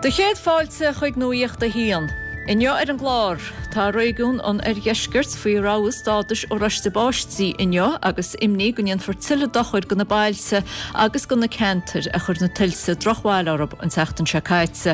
Do chéad fáilte chuig Nuacht a hAon. Inniu ar an gclár, tá réigiún an Oirdheiscirt faoi rabhadh stádais oráiste báistí inniu agus imní go ndéanfar tuilleadh dochair do na bailte agus do na ceantair a chuir na tuilte drochbhail orthu an tseachtain seo caite.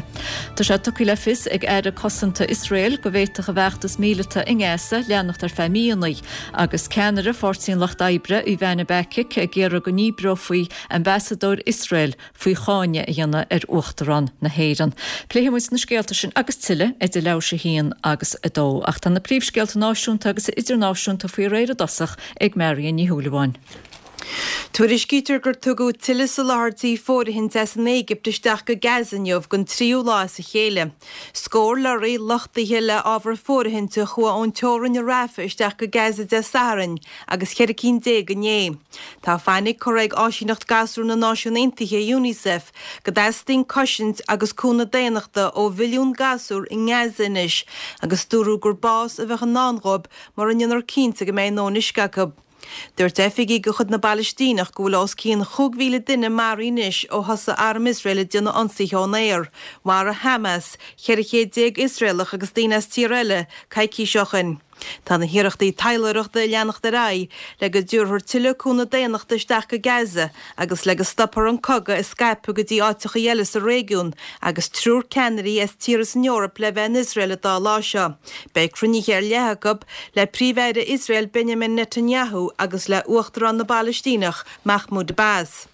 Tá sé tugtha le fios ag Aire Cosanta Iosrael go bhféadfadh a bhfeachtas míleata i nGaza leanacht ar feadh míonna agus ceannaire Pháirtí an Lucht Oibre, Ivana Bacik, ag iarraidh go ndíbreofaí ambasadóir Iosrael faoi cháineadh a dhéanamh ar Uachtarán na hÉireann. Pléifidh muid na scéalta sin agus tuilleadh idir leathuair tar éis a haon agus a dó. Ach tá na príomhscéalta náisiúnta agus idirnáisiúnta faoi réir i dtosach ag Marion Ní Shúilleabháin. Tuairiscítear gur tugadh tuilleadh soláthairtí fóirithinte as an Éigipt isteach go Gaza inniu don tríú lá as a chéile. Scór lorraí luchtaithe le ábhar fóirithinte a chuaigh ón teorainn i Rafah isteach go Gaza Dé Sathairn agus 14 cinn inné. Tá fainic curtha ag Áisíneacht Gasúr na Náisiún Aontaithe, Unicef, go dteastaíonn cosaint agus cúnamh daonnachta ó mhilliún gasúr i nGaza anois agus dúradh gur bás a bheadh i ndán dhóibh mura ndéanfar cinnte go mbeidh a ndóthain uisce acu. Dúirt oifigigh de chuid na bPalaistíneach go bhfuil os cionn 5,000 duine maraithe anois ó thosaigh arm Iosrael ag déanamh ionsaithe ón aer. Mharaigh Hamas 14 céad Iosraelach agus daoine as tíortha eile coicís ó shin. Tá na hiarrachtaí taidhleoireachta ag leanacht ar aghaidh le go dtabharfar tuilleadh cúnamh daonnachta isteach go Gaza agus le go stopfar an cogadh ag scaipeadh go dtí áiteachaí eile sa réigiún agus triúr ceannairí as tíortha san Eoraip le bheith in Iosrael an dá lá seo. Beidh cruinnithe ar leith acu le Príomh-Aire Iosrael Benjamin Netanyahu agus le Uachtarán na bPalaistíneach Mahmoud Abbas.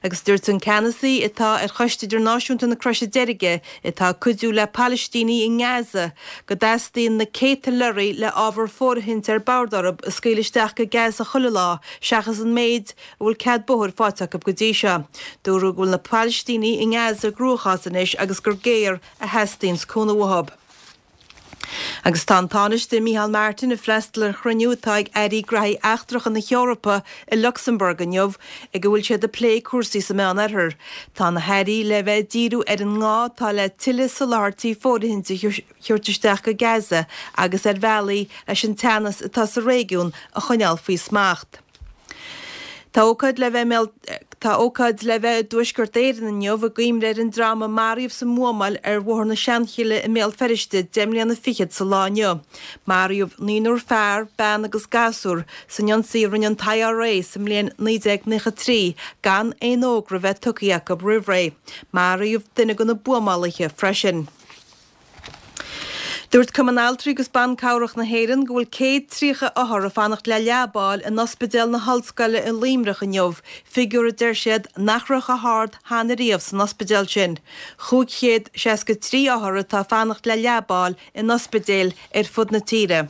Agus dúirt an ceannasaí atá ar Choiste Idirnáisiúnta na Croise Deirge, atá ag cuidiú le Palaistínigh i nGaza, go dteastaíonn na céadta lorraí le ábhar fóirithinte ar bord orthu a scaoileadh isteach go Gaza chuile lá seachas an méid a bhfuil cead bóthair faighte acu go dtí seo. Dúradh go bhfuil na Palaistínigh i nGaza i gcruachás anois agus gur géar a theastaíonns cúnamh uathu. Agus tá an Tánaiste Micheál Martin ag freastal ar chruinniú atá ag Airí Graithí Eachtracha na hEorpa i Lucsamburg inniu ag a bhfuil siad ag plé cúrsaí sa Meán-Oirthear. Tá na hairí le bheith ag díriú ar an ngá atá le tuilleadh soláthairtí fóirithinte a thabhairt isteach go Gaza agus ar bhealaí leis an teannas atá sa réigiún a choinneáil faoi smacht. Tá ócáid le bheith i mBéal Tá ócáid le bheith i dTuaisceart Éireann inniu i gcuimhne ar an dream a maraíodh sa mbuamáil ar Bhóthar na Seanchille i mBéal Feirste 10 mbliana fichead sa lá inniu. Maraíodh naonúr fear, bean agus gasúr san ionsaí a rinne an t-IRA sa mbliain 1993 gan aon fhógra bheith tugtha acu roimh ré. Maraíodh duine de na buamálaithe freisin. Dúirt Cumann Altraí agus Ban Cabhrach na hÉireann go bhfuil 130 othar ag fanacht le leaba a fháil in Ospidéal na hOllscoile i Luimneach inniu, figiúr a deir siad nach raibh chomh hard cheana riamh san ospidéal sin. 563 othar atá ag fanacht le leaba a fháil in ospidéil ar fud na tíre.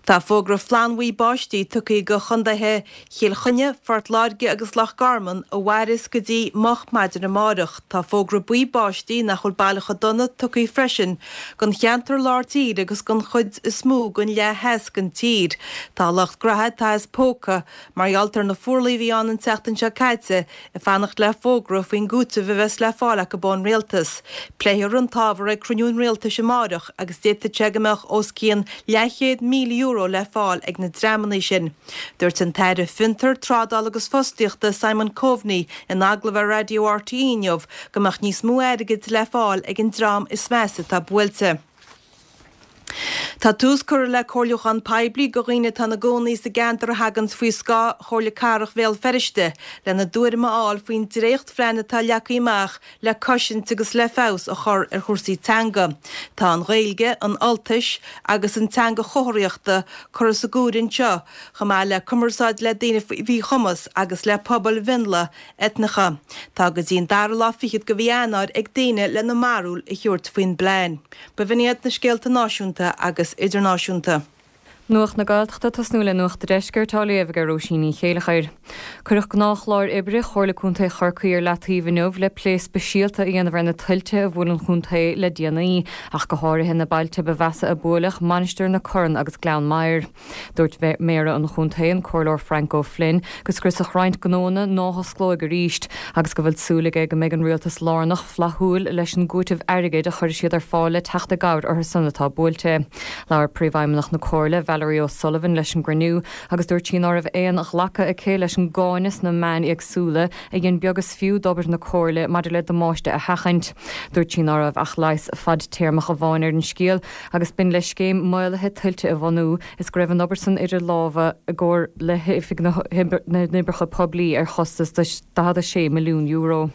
Tá fógra flannbhuí báistí tugtha do chontaetha Chill Chainnigh, Phort Láirge agus Loch Garman a mhairfeas go dtí moch maidin amárach. Tá fógra buí báistí nach bhfuil baileach chomh dona tugtha freisin don cheantar lár tíre agus don chuid is mó den leath theas den tír. Tá lucht graithe atá as póca mar gheall ar na fuarlaigh a bhí ann an tseachtain seo caite ag fanacht le fógra faoin gcúiteamh a bheas le fáil acu ón rialtas. Pléifear an t-ábhar ag cruinniú an rialtais amárach agus d'fhéadfadh sé go mbeadh os cionn leathchéad €1,000 le fáil ag na dreamanna sin. Dúirt an tAire Fiontar, Trádála agus Fostaíochta Simon Coveney in agallamh ar Raidió RTÉ inniu go mbeadh níos mó airgid le fáil ag an dream is measa atá buailte. Tá tús curtha le comhairliúchán poiblí do dhaoine atá ina gcónaí sa gceantar a thaganns faoi scáth Chomhairle Cathrach Bhéal Feirste lena dtuairim a fháil faoin dréachtphlean atá leagtha amach le cosaint agus le feabhas a chur ar chúrsaí teanga. Tá an Ghaeilge, an Ultais agus an teanga chomharthaíochta curtha sa gcomhaireamh anseo, chomh maith le cumarsáid le daoine faoi mhíchumas agus le pobail mhionlaigh eitneacha. Tá go dtí an dara lá fichead de mhí Eanáir ag daoine lena mbarúil a thabhairt faoin bplean. B'in iad na scéalta náisiúnta agus idirnáisiúnta. Nuacht na Gaeltachta ag tosnú le Nuacht an Deiscirt á léamh ag Róisín Ní Chéilleachair. Cuireadh gnáthchlár oibre Chomhairle Contae Chorcaí ar leataobh inniu le plé speisialta a dhéanamh ar na tuilte a bhuail an chontae le déanaí, ach go háirithe na bailte ba mheasa a buaileadh, Mainistir na Corann agus Gleann Maghair. Dúirt Méara an chontae, an Comhairleoir Frank O'Flynn, go scriosfadh roinnt gnóanna ná hosclóidh arís agus go bhfuil súil aige go mbeidh an rialtas lárnach flaithiúil leis an gcúiteamh airgid a chuirfidh siad ar fáil le teacht i gcabhair orthu san atá buailte. Labhair Príomhfheidhmeannach na Comhairle, Valerie. Valerie O'Sullivan leis an gcruinniú agus dúirt sí ná raibh aon ghlacadh aici leis an gcáineadh sna meáin éagsúla a dhein beag is fiú d'obair na Comhairle maidir le damáiste a sheachaint. Dúirt sí ná raibh ach leigheas fadtéarmach amháin ar an scéal agus b'in le scéim maolaithe tuilte a bhunú is go raibh an obair san idir lámha i gcomhar le hOifig na nOibreacha Poiblí ar chostas de €46 milliún.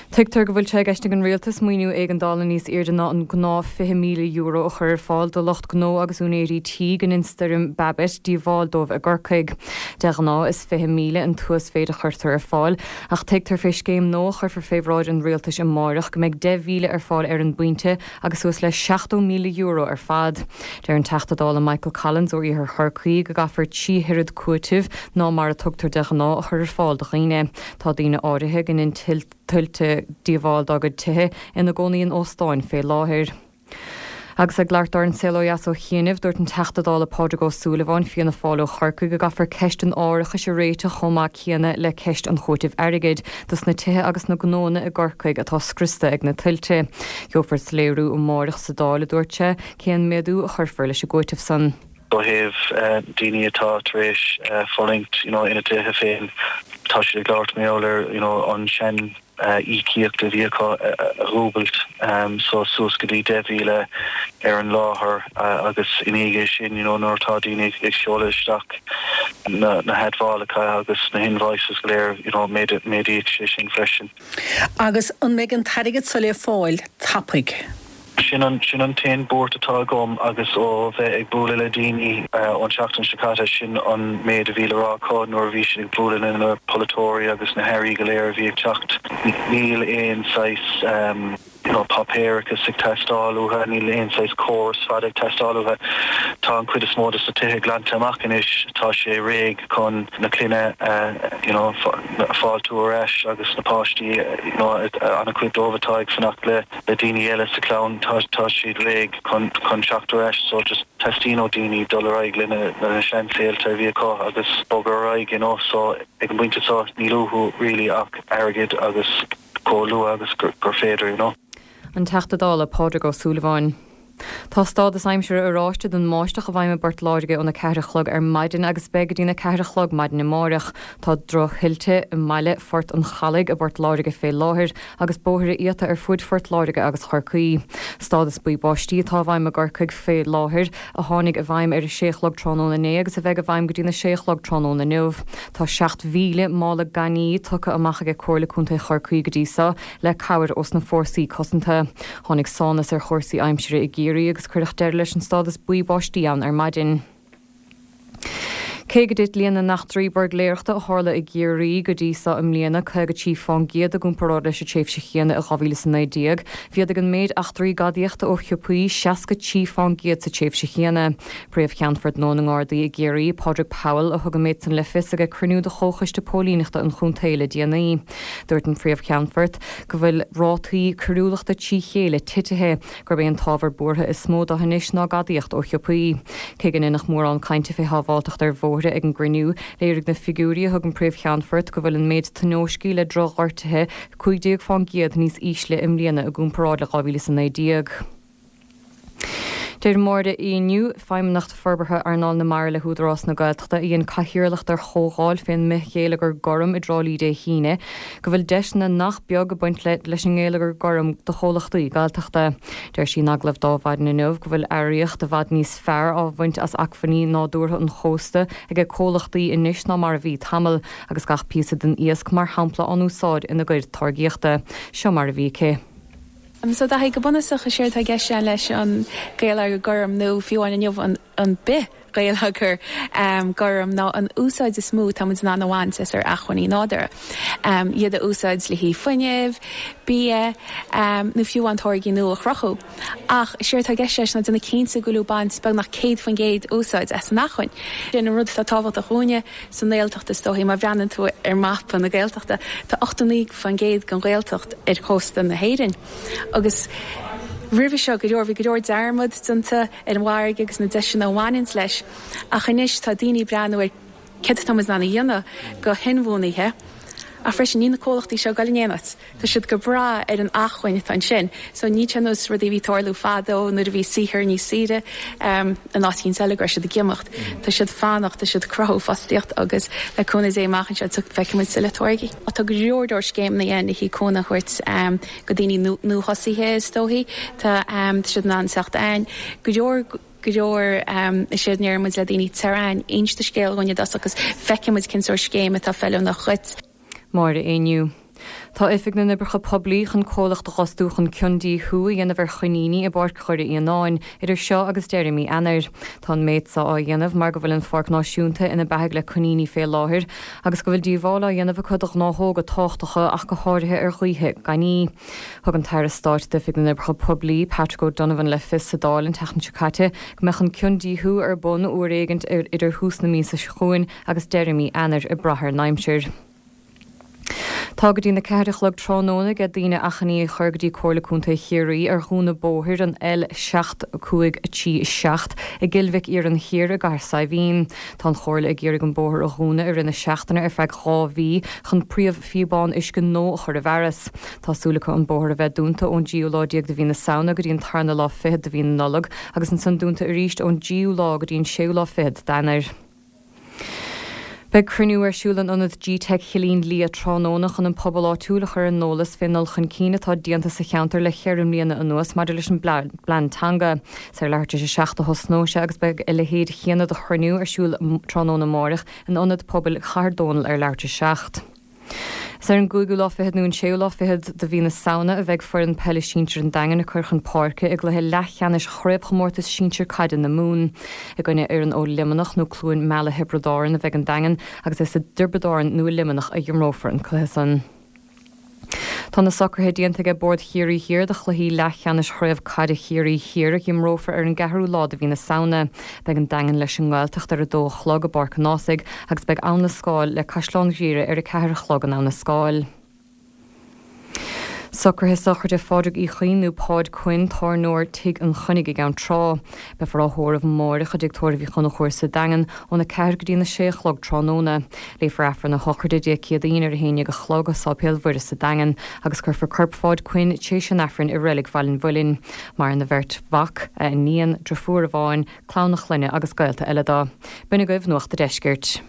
Tuigtear go bhfuil sé i gceist ag an Rialtas maoiniú éigeandála níos airde ná an gnáth €20,000 a chur ar fáil do lucht gnó agus úinéirí tí go ndein stoirm Babet díobháil dóibh i gCorcaigh. De ghnáth is 20,000 an t-uasmhéid a chuirtear ar fáil ach tuigtear fé scéim nua a chuirfear fé bhráid an Rialtais amáireach go mbeidh 10,000 ar fáil ar an bpointe agus suas le €70,000 ar fad. Deir an Teachta Dála Michael Collins ó Iarthar Chorcaí go gcaithfear 3 oiread cúitimh ná mar a tugtar de ghnáth a chur ar fáil do dhaoine. Tá daoine áirithe go ndein tuilte díobháil dá gcuid tithe ina gcónaí in óstáin fé láthair. Agus ag labhairt dó ar An Saol Ó Dheas ó chianaibh, dúirt an Teachta Dála Pádraig Ó Súilleabháin, Fianna Fáil ó Chorcaigh, go gcaithfear ceist an árachais a réiteach chomh maith céanna le ceist an chúitimh airgid dos na tithe agus na gnóanna i gCorcaigh atá scriosta ag na tuilte. Gheofar soiléiriú amáireach sa Dáil, a dúirt sé, cén méadú a chuirfear leis an gcúiteamh san. Ó thaobh daoine atá tar éis fulaingt you know ina dtithe féin, tá siad ag labhairt mar gheall ar you know an sean íocaíocht a bhí acu a dhúbailt so suas go dtí 10,000 ar an láthair agus i ndiaidh sin you know nuair atá daoine ag seoladh isteach na na hadmhálacha agus na hinvoices go léir you know méadaíonn sé sin freisin. Agus an mbeidh an t-airgead so le fáil tapaidh? Sin an, sin an t-aon buairt atá agam agus ó bheith ag bualadh le daoine ón tseachtain seo caite, sin an méid a bhí le rá acu nuair a bhí siad ag bualadh le na polaiteoirí agus na hairí go léir a bhí ag teacht. Níl aon saghas you know páipéarachas ag teastáil uathu, níl aon saghas córas fada ag teastáil uathu. Tá an chuid is mó de na tithe glanta amach anois, tá sé réidh chun na clainne a you know a fáiltiú ar ais agus na páistí you know an-chuid dóibh atá ag fanacht le le daoine eile sa chlann, tá tá siad réidh chun chun teacht ar ais so just teastaíonn ó daoine dul ar aghaidh lena lena seansaolta a bhí acu agus bogadh ar aghaidh you know so ag an bpointe seo níl uathu really ach airgead agus chomh luath agus gur gur féidir you know. An Teachta Dála Pádraig Ó Súilleabháin. Tá stádas aimsire oráiste don mbáisteach i bhfeidhm i bPort Láirge óna 4 a chlog ar maidin agus beidh go dtína 4 a chlog maidin amáireach. Tá droch-thuilte i mbaile Phort an Chalaigh i bPort Láirge fé láthair agus bóithre iata ar fuaid Phort Láirge agus Chorcaí. Stádas buí báistí atá i bhfeidhm i gCorcaigh fé láthair, a tháinig i bhfeidhm ar a sé a chlog tráthnóna inné agus a bheidh i bhfeidhm go dtína sé a chlog tráthnóna inniu. Tá 7,000 mála gainní tugtha amach aige Comhairle Contae Chorcaí go dtí seo le cabhair ós na fórsaí cosanta. Tháinig sánas ar chúrsaí aimsire i gCiarraí agus cuireadh deireadh leis an stádas buí báistí ann ar maidin. Cé go dtit líon na n-eachtraí buirgléireachta a tharla i gCiarraí go dtí seo i mbliana 53 fán gcéad i gcomparáid leis an tréimhse chéanna i 2019, mhéadaigh an méid eachtraí gadaíochta ó shiopaí 63 fán gcéad sa tréimhse chéanna. Príomh-Cheannfort nua na nGardaí i gCiarraí, Pádraig Powell, a thug an méid san le fios ag cruinniú de Chomhchoiste Póilíneachta an chontae le déanaí. Dúirt an Phríomh-Cheannfort go bhfuil rátaí coiriúlachta trí chéile titithe, gurb é an t-ábhar buartha is mó dó anois ná gadaíocht ó shiopaí. Cé go ndeineadh mórán cainte fé shábháilteacht ar bhóithre ag an gcruinniú, léirigh na figiúirí a thug an Príomh-Cheannfort go bhfuil an méid tionóiscí le drochghortuithe 15 fán gcéad níos ísle i mbliana i gcomparáid le 2019. Deir Máire Éinniú, Feidhmeannach Forbartha Earnáil na Mara le hÚdarás na Gaeltachta, a dhein cathaoirleacht ar chomhdháil fén mbithghéilleagar gorm i dTrá Lí Dé hAoine, go bhfuil deiseanna nach beag ag baint le leis an ngeilleagar gorm do chomhlachtaí Gaeltachta. Deir sí in agallamh d'Adhmhaidin inniu go bhfuil earraíocht i bhfad níos fearr á bhaint as acmhainní nádúrtha an chósta aige comhlachtaí anois ná mar a bhí tamall, agus gach píosa den iasc mar shampla á n-úsáid ina gcuid táirgíochta. Seo mar a bhí aici. So Daithí, go bunúsach is éard atá i gceist leis an gheilleagar gorm nó fiú amháin inniu an bith gheilleagar gorm ná an úsáid is mó atá muid in ann a bhaint as ár acmhainní nádúrtha. Iad a úsáid le haghaidh fuinnimh, bia nó fiú amháin táirgí nua a chruthú. Ach is éard atá i gceist leis ná déanamh cinnte go bhfuil tú ag baint beagnach 100% úsáid as an acmhainn. Sin an rud atá tábhachtach dhúinne sa nGaeltacht is dóichí, má bhreathnaíonn tú ar mapa na Gaeltachta, tá 89% den Ghaeltacht ar chósta na hÉireann. Agus roimhe seo go leor, bhí go leor dearmad déanta ar an bhfarraige agus na deiseanna a bhaineanns leis. Ach anois tá daoine ag breathnú ar céard atá muid in ann a dhéanamh go hinbhuanaithe. Ach freisin, níl na comhlachtaí seo ag dul in aon áit. Tá siad go breá ar an acmhainn atá ansin. So níl sé ar nós rudaí a bhí ag tarlú fadó nuair a bhí saothar níos saoire in áit éicint eile go raibh siad ag imeacht. Tá siad fanacht, tá siad ag cruthú fostaíocht agus le cúnamh Dé amach anseo feicfidh muid tuilleadh táirgí. Tá go leor leor scéimeanna ann le haghaidh cúnamh a thabhairt go daoine nuathosaithe is dóichí. Tá siad in ann teacht againn. Go leor go leor is éard a ndeir muid le daoine, tar chugainn, inis do scéal dhúinn i dtosach agus feicfidh muid cén sórt scéim atá feiliúnach dhuit. Máire Éinniú. Tá Oifig na nOibreacha Poiblí chun comhlacht a dh'fhostú chun ciondíothú a dhéanamh ar choiníní i bPáirc Dhoire Fhíonáin idir seo agus deireadh mí Eanáir. Tá an méid so á dhéanamh mar go bhfuil an Pháirc Náisiúnta ina beathaigh le coiníní fé láthair agus go bhfuil díobháil á dhéanamh acu do ghnáthóga tábhachtacha ach go háirithe ar ghaoithe gainní. Thug an tAire Stáit d'Oifig na nOibreacha Poiblí, Patrick O'Donovan le fios sa Dáil an tseachtain seo caite go mbeadh an ciondíothú ar bun uair éigint idir thús na míosa seo chugainn agus deireadh mí Eanáir ag brath ar an aimsir. Tá go dtí na ceathair a chlog tráthnóna aige daoine achainí a chur go dtí Comhairle Contae Chiarraí ar dhúnadh bóthair an L7537 i gCill Mhic Iarainn Thiar i gCathair Saidhbhín. Tá an Chomhairle ag iarraidh an bóthar a dhúnadh i rith na seachtaine ar feadh 2 mhí chun príomhphíobán uisce nua a chur i bhfearas. Tá súil acu an bóthar a bheith dúnta ón dtríú lá déag de mhí na Samhna go dtí an tarna lá fichead de mhí na Nollag agus ansan dúnta arís ón dtríú lá go dtí an séú lá fichead d'Eanáir. Beidh cruinniú ar siúl in Ionad G-Teic Chillín Liath tráthnóna chun an pobal áitiúil a chur ar an eolas fén ndul chun cinn atá déanta sa cheantar le cheithre mbliana anuas maidir leis an bplean teanga. Is ar leathuair tar éis a 7 a thosnóidh sé agus beidh a leithéid chéanna de chruinniú ar siúl tráthnóna amáireach in Ionad Pobail Chathair Dónall ar leathuair tar éis a 7. Is ar an gcúigiú lá fichead nó an séú lá fichead de mhí na Samhna a bheidh foireann peile sinsir an Daingin ag cur chun páirce i gcluiche leathcheannais Chraobhchomórtas Sinsir Caide na Mumhan. I gcoinne fhoireann ó Luimneach nó Cluain Meala Thiobraid Árann a bheidh an Daingean agus is i dTiobraid Árann nó i Luimneach a dh'imreofar an cluiche san. Tá na socruithe déanta aige Bord Chiarraí Thiar do chluichí leathcheannais Chraobh Caide Chiarraí Thiar a dh'imreofar ar an gceathrú lá de mhí na Samhna. Beidh an Daingean leis an nGaeltacht ar a dó a chlog i bPáirc an Ághasaigh agus beidh Abhainn na Scáil le Caisleán Ghriaire ar a ceathair a chlog in Abhainn na Scáil. Socruithe sochraide Phádraig Uí Chuinn nó Páid Quinn, tábhairneoir Tigh an Chainnigh i gCeann Trá. Beifear á thórramh amáireach i dTigh Tórraimh Uí Chonchúir sa Daingean óna 4 go dtí na 6 a chlog tráthnóna. Léifear Aifreann a shochraide Dé Céadaoin ar a 11 a chlog i Sáipéal Mhuire sa Daingean agus cuirfear corp Pháid Quinn t'éis an Aifrinn i Reilig Bhaile an Mhuilinn. Maireann a bheirt mhac, a iníon, driofúr amháin, clann a chlainne agus gaolta eile dó. B'in agaibh Nuacht a' Deiscirt.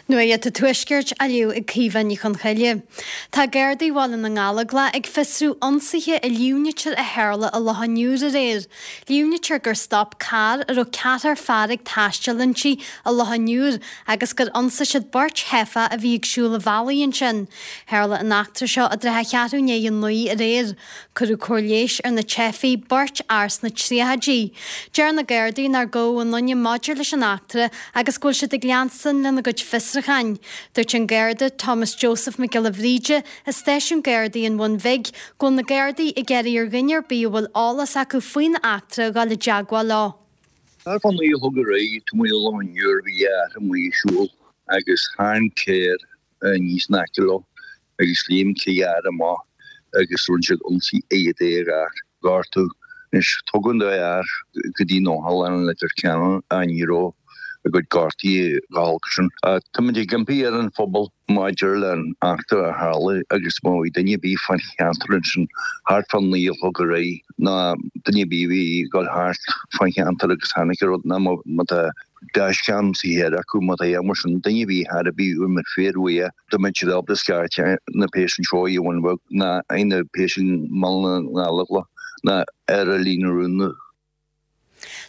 Nuacht an Tuaiscirt á léamh ag Caoimhe Ní Chonchoille. Tá Gardaí Bhaile na nGallóglach ag fiosrú ionsaithe a líomhnaítear a tharla i Loch an Iúir aréir. Líomhnaítear gur stop carr a raibh ceathrar fear ag taisteal inti i Loch an Iúir agus gur ionsaigh siad beirt theifeach a bhí ag siúl an bhealaigh ansin. Tharla an eachtra seo i dtrátha cheathrú i ndiaidh a 9 aréir. Cuireadh cóir leighis ar na teifigh, beirt fhear sna tríochaidí. Deir na Gardaí nár gabhadh aon duine maidir leis an eachtra agus go bhfuil siad ag leanstan lena gcuid fiosrúcháin. Dúirt an Garda Thomas Joseph Mac Giolla Bhríde i stáisiún Gardaí an Bhun Bhig go bhfuil na Gardaí ag iarraidh ar dhuine ar bith a bhfuil eolas acu faoin eachtra a dhul i dteagmháil leo. Thart fá naoi a chlog aréir taobh amuigh de Loch an Iúir bhí fear amuigh ag siúl agus tháinig carr aníos in aice leo agus léim trí fhear amach agus rinne siad ionsaí ar an dá fhear, gortú. Anois, tugadh an dá fhear go dtí an otharlann i Leitir Ceanainn ach ní raibh a gcuid gortaithe chomh holc sin. Táimid ag impí ar an phobal maidir le an eachtra a tharla agus má bhí duine ar bith fán cheantar ansin thart fá naoi a chlog aréir nó duine ar bith a bhí ag dul thart fán cheantar agus chonaic an rud nó má tá dashcam sa charr acu má tá aon mar sin duine ar bith thar a bith uaim ar fíor uaidh dá mbeadh siad ábalta scairteadh na péas anseo i Bhun Bheag ná na péas i mBaile na nGallóglach ná ar an líne rúnda.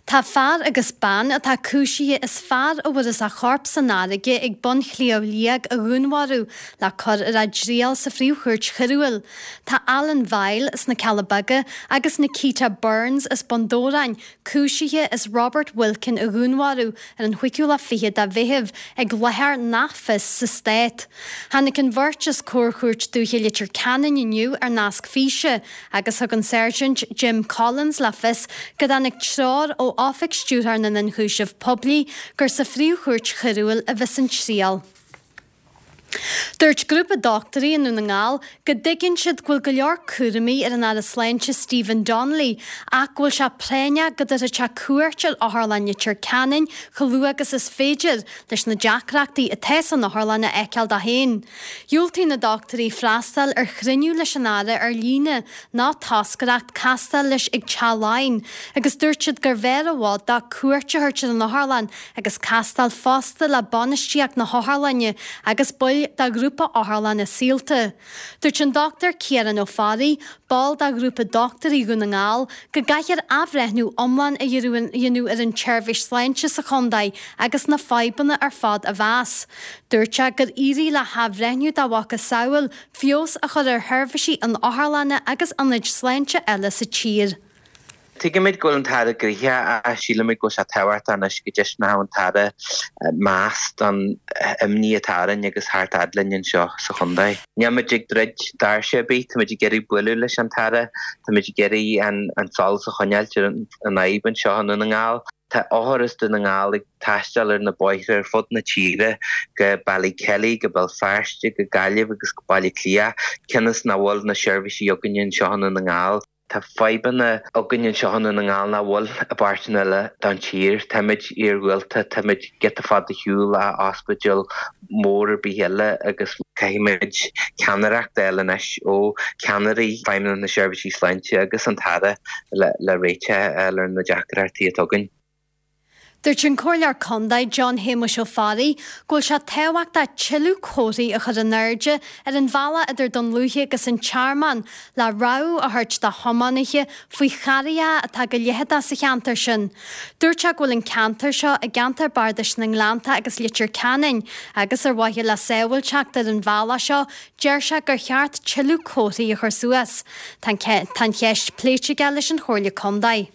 Tá fear agus bean atá cúisithe as fear a bhfuarthas a chorp san fharraige ag bun Shliabh Liag a dhúnmharú le cur ar a dtriail sa Phríomh-Chúirt Choiriúil. Tá Alan Vile as na Cealla Beaga agus Nikita Burns as Bun Dobhráin cúisithe as Robert Wilkin a dhúnmharú ar an chúigiú lá fichead de Mheitheamh ag láthair nach fios sa stát. Tháinig an bheirt os comhair Chúirt Dúiche Leitir Ceanainn inniu ar nasc físe agus thug an Sáirsint Jim Collins le fios go dtáinig treoir ó Oifig Stiúrthóir na nIonchúiseamh Poiblí gur sa Phríomh-Chúirt Choiriúil a bheas an triail. Dúirt grúpa dochtúirí i nDún na nGall go dtuigeann siad go bhfuil go leor cúraimí ar an Aire Sláinte Stephen Donnelly ach go bhfuil sé práinneach go dtabharfadh sé cuairt ar Otharlann Leitir Ceanainn chomh luath agus is féidir leis na deacrachtaí atá san otharlann a fheiceáil dó féin. Dhiúltaigh na dochtúirí freastal ar chruinniú leis an Aire ar líne ná toscaireacht castáil leis ag Teach Laighean agus dúirt siad gurbh fhearr i bhfad dó cuairt a thabhairt ar an otharlann agus castáil fosta le bainistíocht na hotharlainne agus baill de ghrúpa otharlanna Saolta. Dúirt an Dr Ciarán Ó Fearraigh, ball de ghrúpa Dochtúirí Dhún na nGall, go gcaithfear athbhreithniú iomlán a dhéanamh ar an tseirbhís sláinte sa chontae agus na fadhbanna ar fad a mheas. Dúirt sé gur éirigh le hathbhreithniú dá mhacasamhail feabhas a chur ar sheirbhísí in otharlanna agus ionaid sláinte eile sa tír. Tuigimid go bhfuil an tAire gnoitheach ach sílimid go bhfuil sé tábhachtach anois go dtaispeánfadh an tAire meas don imní atá orainn agus theacht fhad linn anseo sa chontae. Nílimid ag druid doirse ar bith, táimid ag iarraidh bualadh leis an tAire, táimid ag iarraidh an solas a choinneáilt ar an fhadhb anseo i nDún na nGall. Tá othair as Dún na nGall ag taisteal ar na bóithre ar fud na tíre go Ballykelly, go Béal Feirste, go Gaillimh agus go Baile Átha Cliath, cionn is nach bhfuil na seirbhísí againne anseo i nDún na nGall. Tá fadhbanna againn anseo i nDún na nGall nach bhfuil i bpáirteanna eile den tír. Táimid iargúlta, táimid giota fada ar shiúl ó ospidéal mór ar bith eile agus caithfimid ceannaireacht a fháil anois ó cheannairí Feidhmeannacht na Seirbhísí Sláinte agus an tAire le réiteach a fháil ar na deacrachtaí atá againn. Dúirt an Comhairleoir Contae John Shéamuis Ó Fearraigh go bhfuil sé tábhachtach tuilleadh comharthaí a chur in airde ar an bhealach idir Dún Lúiche agus an Tearmann le rabhadh a thabhairt do thiománaithe faoi charraigeacha atá go leitheadach sa cheantar sin. Dúirt sé go bhfuil an ceantar seo i gceantar Bardais na nGleannta agus Leitir Ceanainn agus ar mhaithe le sábháilteacht ar an bhealach seo deir sé gur cheart tuilleadh comharthaí a chur suas. Tá an cheist pléite aige leis an Chomhairle Contae.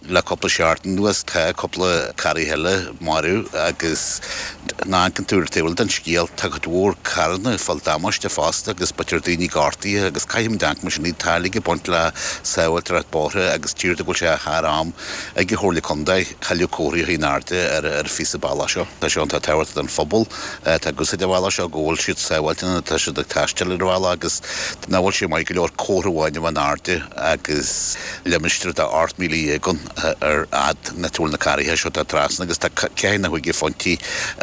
Le cúpla seachtain anuas tá cúpla carraig eile marbh agus nuair a amharcann tú ar an taobh eile den scéal tá cuid mhór carranna ag fáil damáiste fosta agus b'fhéidir daoine gortaithe agus caithfimid amharc mar sin tá uilig ag baint le sábháilteacht bóithre agus deirtear go bhfuil sé thar am ag an Chomhairle Contae tuilleadh comharthaí a chur in airde ar an phíosa bealach seo. Tá sé iontach tábhachtach don phobal atá ag úsáid an bhealach seo go bhfuil siad sábháilte nuair atá siad ag taisteal ar an bhealach agus nach bhfuil sé maith go leor comhartha amháin a bheith in airde agus limistéar de 18,000 ann ar fhad nach bhfuil na carraithe seo ag trasna agus tá ceathair nó chúig phointí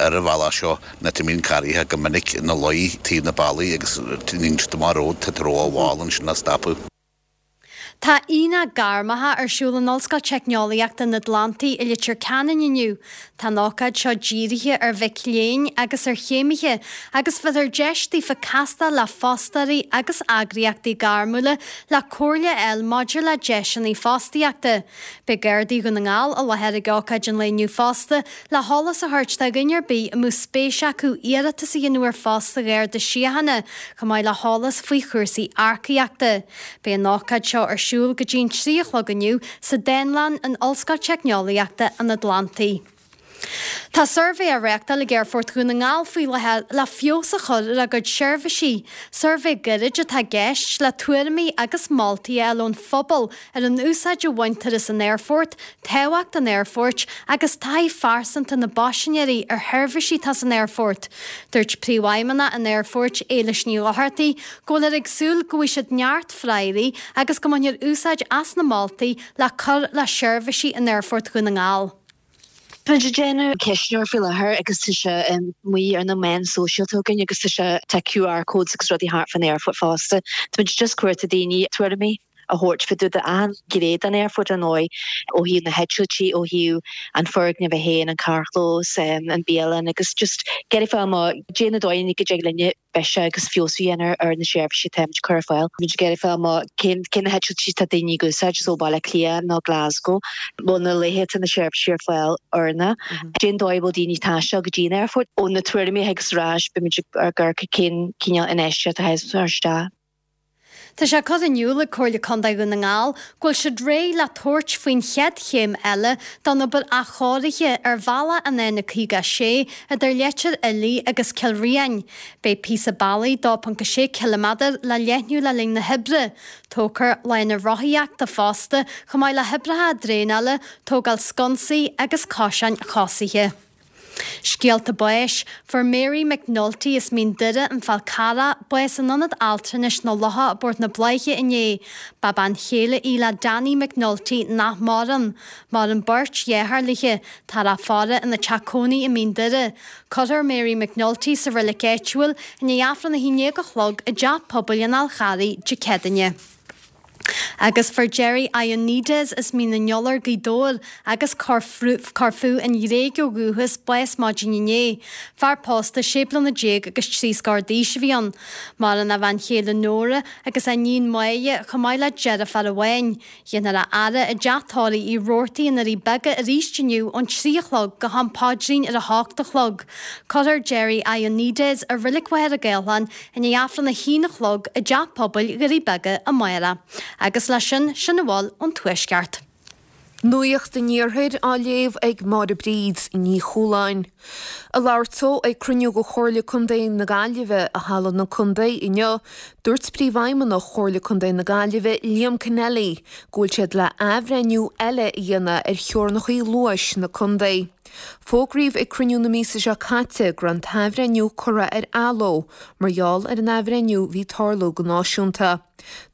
ar an bhealach seo nach mbíonn carraithe go minic ina luí taobh na bealaí agus níl siad amach ród tá ró-mhall ansin le stopadh. Tá Aonach Gairmeacha ar siúl in Ollscoil Teicneolaíochta an Atlantaigh i Leitir Ceanainn inniu. Tá an ócáid seo dírithe ar mhic léinn agus ar chéimithe agus bheifear deis daofa castáil le fostóirí agus eagraíochtaí gairmiúla le comhairle a fháil maidir le deiseanna fostaíochta. Beidh Gardaí Dhún na nGall i láthair ag ócáid an lae inniu fosta le heolas a thabhairt do dhuine ar bith a mbeadh spéis acu iarratas a dhéanamh ar phost sa Gharda Síochána, chomh maith le heolas faoi chúrsaí earcaíochta. Beidh an ócáid seo ar siúl go dtí an 3 a chlog inniu sa Dánlann in Ollscoil Teicneolaíochta an Atlantaigh. Tá suirbhé á réachtáil ag Aerfort Dhún na nGall faoi láthair le feabhas a chur ar a gcuid seirbhísí. Suirbhé gairid atá i gceist le tuairimí agus moltaí a fháil ón phobal ar an úsáid a bhaintear as an aerfort, tábhacht an aerfoirt agus taithí phearsanta na bpaisinéirí ar sheirbhísí atá san aerfort. Dúirt Príomhfheidhmeannach an Aerfoirt, Éilis Ní Dhochartaigh, go bhfuiltear ag súil go bhfaighidh siad neart freagraí agus go mbainfear úsáid as na moltaí le cur le seirbhísí in Aerfort Dhún na nGall. Táimid ag déanamh ceistneoir faoi láthair agus tá sé amuigh ar na meáin sóisialta againn agus tá sé, tá QR codes agus rudaí thart fán aerfort fosta. Táimid just cuartú daoine tuairimí a thabhairt fá dtaobh d'achan ghné den aerfort ar ndóigh, ó thaobh na heitiltí, ó thaobh an foirgneamh é féin, an carrchlós, an bialann agus just ag iarraidh fáil amach caidé na dóigheanna go dtig linne biseach agus feabhsú a dhéanamh ar na seirbhísí atáimid ag cur ar fáil. Táimid ag iarraidh fáil amach cén cé na heitiltí atá daoine ag úsáid, is ó Bhaile Átha Cliath nó Glasgow, bhfuil na laethe atá na seirbhísí ar fáil oiriúnach, cén dóigh a bhfuil daoine ag taisteal go dtí an aerfort. Ó na tuairimí a thigeas ar ais, beimid ag amharc cén cineál infheistíocht a chaithfeas muid a chur isteach. Tá sé curtha in iúl ag Comhairle Contae Dhún na nGall go bhfuil siad réidh le tabhairt faoin chéad chéim eile den obair athchóirithe ar bhealach an N56 idir Leitir Fhiilí agus Cill Riain. Beidh píosa bealaigh 2.6 ciliméadar le leathnú le linn na hoibre. Tógfar lána rothaíochta fosta, chomh maith le hoibreacha draenála, tógáil sconsaí agus coiseáin chosaithe. Scéalta báis, Fuair Mary McNulty as Mín Doire, An Fál Carrach, bás in Ionad Altranais na Locha i bPort na Bláiche inné. Ba bean chéile í le Danny McNulty nach maireann. Maireann beirt dheartháir léi. Táthar á faire ina teach cónaí i Mín Doire. Cuirfear Mary McNulty sa reilig áitiúil i ndiaidh Aifreann 11 a chlog i dTeach Pobail an Fháil Charraigh Dé Céadaoine. Agus fuair Jerry Ioannidis as Mín an Iolair, Gaoth Dobhair, agus Corfú an Ghréig ó dhúchas, bás maidin inné. Fear pósta sé bliana déag agus trí scór d'aois a bhí ann. Maireann a bhean chéile Nóra agus a iníon Máire chomh maith le deirfiúr amháin. Déanfar a fhaire i dteach tórraimh Uí Robhartaigh i nDoirí Beaga arís inniu ón 3 a chlog go ham paidrín ar a hocht a chlog. Cuirfear Jerry Ioannidis i Reilig Mhachaire Gathlán i ndiaidh Aifreann a haon a chlog i dTeach Pobail Dhoirí Beaga amárach. Agus leis sin, sin a bhfuil ón Tuaisceart. Nuacht an Iarthair á léamh ag Máire Bríd Ní Chualáin. Ag labhairt dó ag cruinniú de Chomhairle Contae na Gaillimhe i Halla na Contae inniu, dúirt Príomhfheidhmeannach Chomhairle Contae na Gaillimhe, Liam Kennelly, go bhfuil siad le athbhreithniú eile a dhéanamh ar theorainneacha luais na contae. Fógraíodh ag cruinniú na míosa seo caite go raibh an t-athbhreithniú curtha ar athló mar gheall ar an athbhreithniú a bhí ag tarlú go náisiúnta.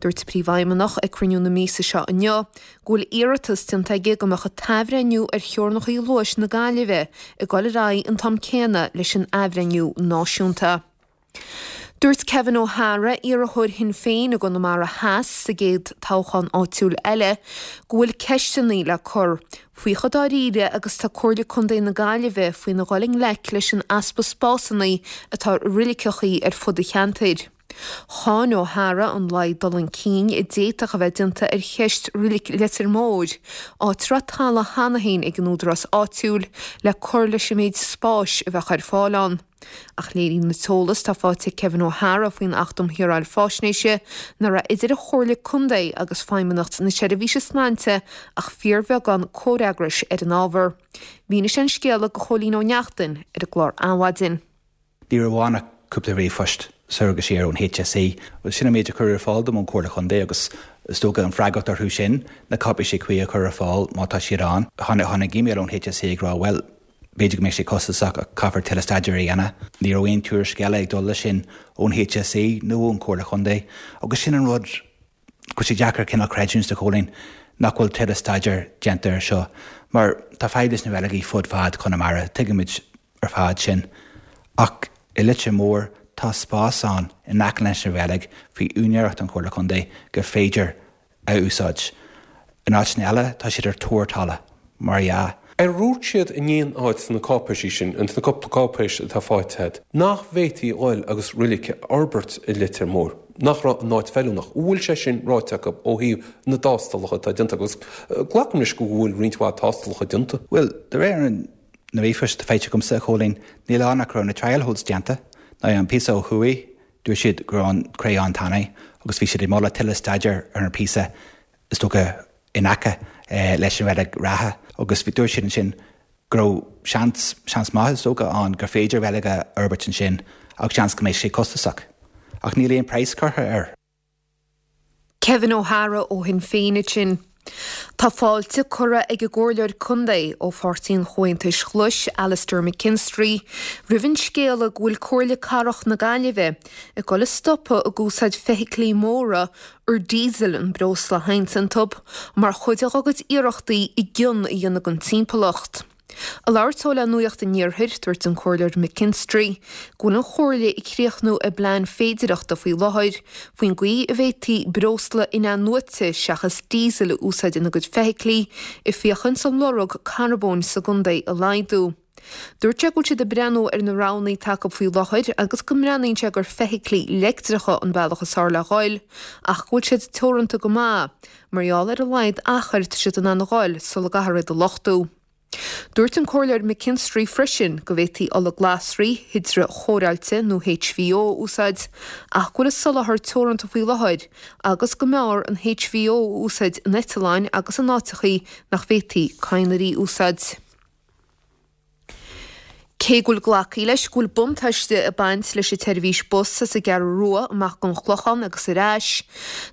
Dúirt an Príomhfheidhmeannach ag cruinniú na míosa seo inniu go bhfuil iarratas déanta aige go mbeadh an t-athbhreithniú ar theorainneacha luais na Gaillimhe ag dul ar aghaidh an t-am céanna leis an athbhreithniú náisiúnta. Dúirt Kevin O'Hara, iarrthóir Shinn Féin i gConamara Theas sa gcéad toghchán áitiúil eile, go bhfuil ceisteanna le cur faoi chomh dáiríre agus atá Comhairle Contae na Gaillimhe faoina dhul i ngleic leis an easpa spásanna atá i reiligeachaí ar fud an cheantair. Cháin O'Hara an laghad dul chun cinn a d'fhéadfadh a bheith déanta ar cheist Reilig Leitir Móir, áit a raibh talamh cheana féin ag an údarás áitiúil le cur leis an méid spáis a bheadh ar fáil ann. Ach léiríonn an t-eolas atá faighte ag Kevin O'Hara faoin Acht um Shaoráil Faisnéise nach raibh idir an Chomhairle Contae agus Feidhmeannacht na Seirbhíse Sláinte ach fíorbheagán comhfhreagrais ar an ábhar. Mhínigh sé an scéal do Chóilín Ó Neachtain ar an gclár Adhmhaidin. Ní raibh ann ach cúpla ríomhphost soir agus siar ón HSE. Sin an méid a cuireadh ar fáil dom ón Chomhairle Chontae agus is dócha an freagracht orthu sin na cáipéisí cuí a chur ar fáil má tá siad ann. Tháinig email ón HSE ag rá bhuel, b'fhéidir go mbeidh sé costasach ach caithfear tuilleadh staidéir a dhéanamh. Ní raibh aon tuairisc eile ag dul leis sin ón HSE nó ón Chomhairle Chontae agus sin an rud go bhfuil sé deacair cineál creidiúint a Chóilín nach bhfuil tuilleadh staidéir déanta air seo mar tá fadhb leis na reiligí fud fad Chonamara, tuigimid ar fad sin. Ach i Leitir Móir tá spás ann in aice leis an reilig faoi úinéireacht an Chomhairle Contae gur féidir a úsáid. In áiteanna eile tá siad ar tóir talamh, mar dhea. Ar dhúirt siad in aon áit sna cáipéisí sin, ins na cúpla cáipéis atá faighte agat, nach bhféadfaí dhul agus roilig a fhorbairt i Leitir Móir, nach raibh an áit feiliúnach? An bhfuil sé sin ráite acu ó thaobh na dtástalacha atá déanta acu? Agus glacaim leis go bhfuil roinnt mhaith tástalacha déanta. Bhuel, de réir na ríomhphoist atá faighte agamsa, a Chóilín, níl ann ach go raibh na trial holes déanta. Now, an píosa ó thuaidh, dúirt siad go raibh an cré an-tanaí agus bhí siad ag moladh tuilleadh staidéir ar an phíosa is dócha, in aice leis an reilig reatha agus dúirt siad ansin go raibh seans, seans maith is dócha, ann gur féidir reilig a fhorbairt ansin ach seans go mbeidh sé costasach. Ach níl aon praghas curtha air. Kevin O'Hara ó Shinn Féin ansin. Tá fáilte curtha ag an gComhairleoir Contae ó Pháirtí an Chomhaontais Ghlais, Alastair McKinstry, roimh an scéala go bhfuil Comhairle Cathrach na Gaillimhe ag dul a stopadh ag úsáid feithiclí móra ar diesel an breosla a théanns iontu, mar chuid dá gcuid iarrachtaí a gcion a dhéanamh don timpeallacht. Ag labhairt dó le Nuacht an Iarthair, dúirt an Comhairleoir McKinstry go bhfuil an Chomhairle ag críochnú a bplean féidireachta faoi láthair faoin gcaoi a bhféadfaí breosla in-athnuaite seachas diesel a úsáid ina gcuid feithiclí, ag féachaint an lorg carbóin sa gcontae a laghdú. Dúirt sé go bhfuil siad ag breathnú ar na roghanna atá acu faoi láthair agus go mbreathnaíonn sé gur feithiclí leictreacha an bealach is fearr le dhul ach go bhfuil siad teoranta go maith mar gheall ar a laghad achair atá siad in ann a dhul sula gcaithfear iad a luchtú. Dúirt an Comhairleoir McKinstry freisin go bhféadfaí ola glasraí hidreachóireáilte nó HVO a úsáid ach go bhfuil a soláthar teoranta faoi láthair agus go mb'fhearr an HVO a úsáid in eitleáin agus in áiteachaí nach bhféadfaí cadhnraí a úsáid. Cé go bhfuil glactha leis go bhfuil buntáiste ag baint leis an tseirbhís bus as an gCeathrú Rua amach go an Clochán agus ar ais,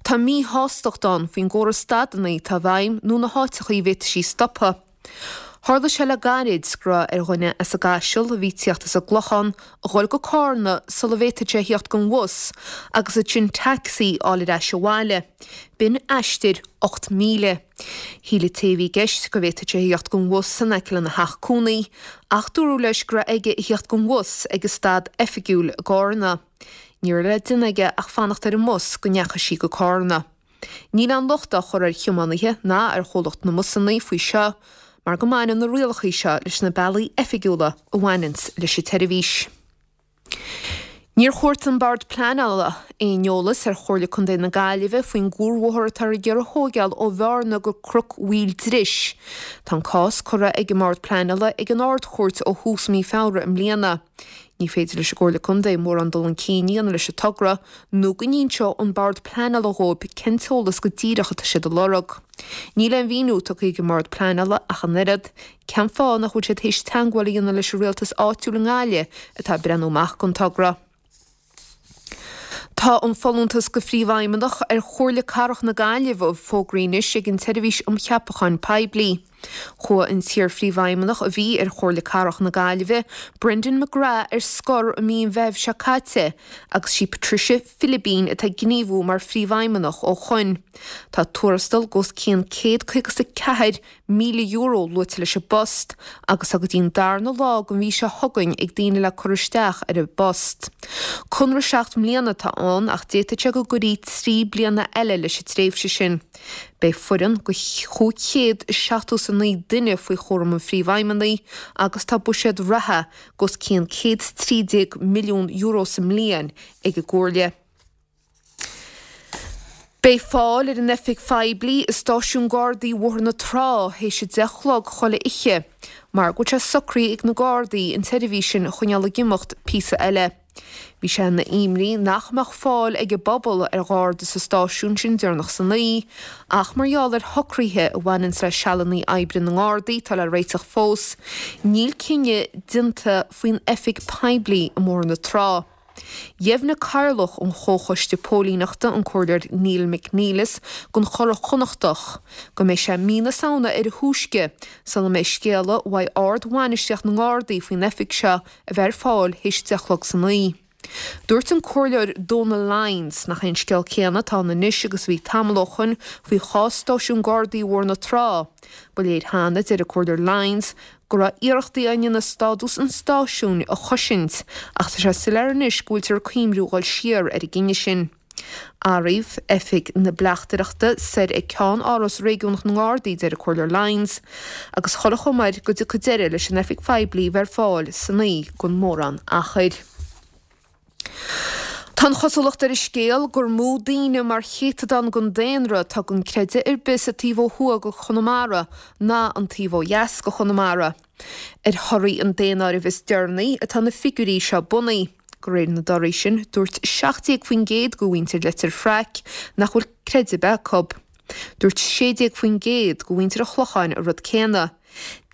tá míshástacht ann faoin gcóras stadanna atá i bhfeidhm nó na háiteachaí a bhféadfaidh sí stopadh. Tharla sé le gairid go raibh ar dhuine as an gCaiseal a bhí ag tíocht as an gClochán a dhul go Cárna sula bhféadfadh sé a thíocht den bhus agus ansin taxi a fháil ar ais abhaile. B'in aistear 8 míle. Shíl an té a bhí i gceist go bhféadfadh sé a thíocht den bhus in aice lena theach cónaí ach dúradh leis go raibh aige a thíocht den bhus ag an stad oifigiúil i gCárna. Ní raibh le déanamh aige ach fanacht ar an mbus go ndeachaigh sí go Cárna. Níl aon locht á chur ar thiománaithe ná ar chomhlacht na mbusanna faoi seo mar go mbaineann na rialacha seo leis na bealaí oifigiúla a bhaineanns leis an tseirbhís. Níor chuartaigh an Bord Pleanála aon eolas ar Chomhairle Contae na Gaillimhe faoin gcuarbhóthar atáthar ag iarraidh a thóigeáil ó Bhearna go Cnoc Mhaoil Dris. Tá an cás curtha ag an mBord Pleanála ag an Ard-Chúirt ó thús mí Feabhra i mbliana. Ní féidir leis an gComhairle Contae mórán dul chun cinn a dhéanamh leis an togra nó go n-inseoidh an Bord Pleanála dhóibh cén t-eolas go díreach atá siad a lorg. Níl aon mhíniú tugtha ag an mBord Pleanála ach an oiread, cén fáth nach bhfuil siad théis teagmháil a dhéanamh leis an rialtas áitiúil i nGaillimh atá ag breathnú amach don togra. Tá an folúntas go Phríomhfheidhmeannach ar Chomhairle Cathrach na Gaillimhe fógraithe anois ag an tSeirbhís um Cheapacháin Poiblí. Chuaigh an t-iar-phríomhfheidhmeannach a bhí ar Chomhairle Cathrach na Gaillimhe, Brendan McGrath ar scor i mí an Mheithimh seo caite agus sí Patricia Philibín atá ag gníomhú mar phríomhfheidhmeannach ó shoin. Tá tuarastal go os cionn €154 €1,000 luaite leis an bpost agus tá go dtí an darna lá den mhí seo chugainn ag daoine le cur isteach ar an bpost. Conradh 7 mbliana atá ann ach d'fhéadfadh sé go gcuirfí 3 bliana eile leis an tréimhse sin. Beidh foireann go 579 duine faoi chúram an Phríomhfheidhmeannaigh agus tá buiséad reatha go os cionn €113 milliún sa mbliain ag an gComhairle. Beidh fáil ar an oifig phoiblí i Stáisiún Gardaí Bhóthar na Trá théis a 10 a chlog chuile oíche mar go bhfuil sé socraithe ag na Gardaí an tseirbhís sin a choinneáil ag imeacht píosa eile. Bhí sé ina imní nach mbeadh fáil ag an bpobal ar Gharda sa stáisiún sin deireanach san oíche ach mar gheall ar shocruithe a bhaineanns le sealanna oibre na nGardaí atá le réiteach fós, níl cinneadh déanta faoin oifig poiblí i mBóthar na Trá. Dheimhnigh Cathaoirleach an Chomhchoiste Póilíneachta, an Comhairleoir Neil McNeilus don Churadh Connachtach, go mbeidh sé mí na Samhna ar a thúisce sula mbeidh scéala uaidh ard-bhainistíocht na nGardaí faoin oifig seo a bheith ar fáil théis 10 a chlog san oíche. Dúirt an Comhairleoir Donal Lyons nach é an scéal céanna atá ann anois agus a bhí tamall ó shoin faoi chás stáisiún Gardaí Bhóthar na Trá. Ba léir cheana, deir an Comhairleoir Lyons, go raibh iarrachtaí á ndéanamh stádús an stáisiúin a chosaint ach tá sé soiléir anois go bhfuiltear ag cuimhniú dhul siar ar an gcinneadh sin. Áiríodh oifig na bleachtaireachta soir ag ceann-áras réigiúnach na nGardaí, deir an Comhairleoir Lyons, agus chuile chuma air go dtiocfaidh deireadh leis an oifig phoiblí bheith ar fáil san oíche gan mórán achair. Tá an chosúlacht ar an scéal gur mó daoine mar chéatadán den daonra atá gan creideamh ar bith sa taobh ó thuaidh de Chonamara ná an taobh ó dheas de Chonamara. Ar thorthaí an daonáirimh is deireanaí atá na figiúirí seo bunaithe. De réir na dtorthaí sin, dúirt 17% de mhuintir Leitir Fraic nach bhfuil creideamh ar bith acu. Dúirt 16% de mhuintir an Chlocháin an rud céanna.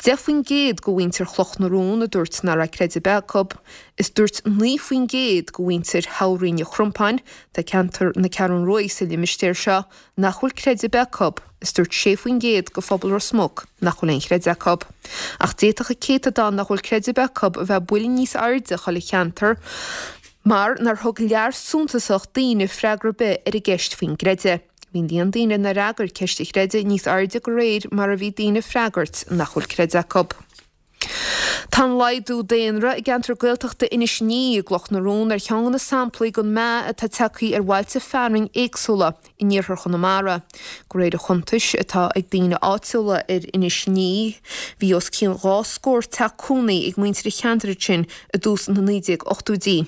10% de mhuintir Chloch na Rón a dúirt nach raibh creideamh ar bith acu, is dúirt 9% de mhuintir thoghroinn an Chrompáin, tá ceantar na Ceathrún Ruaidh sa limistéar seo, nach bhfuil creideamh ar bith acu, is dúirt 6% de phobal Ros Muc nach bhfuil aon chreideamh acu. Ach d'fhéadfadh an céatadán nach bhfuil creideamh ar bith acu a bheith buille níos airde chuile cheantar mar nár thug lear suntasach daoine freagra ar bith ar an gceist faoin gcreideamh. Bhí an líon daoine nár fhreagair ceist an chreidimh níos airde de réir mar a bhí daoine ag freagairt nach bhfuil creideamh acu. Tá an laghdú daonra i gceantar Gaeltachta Inis Ní i gCloch na Rón ar cheann de na samplaí den meath atá tagtha ar bhailte fearainn éagsúla in iarthar Chonamara. De réir an chuntais atá ag daoine áitiúla ar Inis Ní, bhí os cionn 2 scór teach cónaí ag muintir an cheantair ansin i dtús na 1980idí.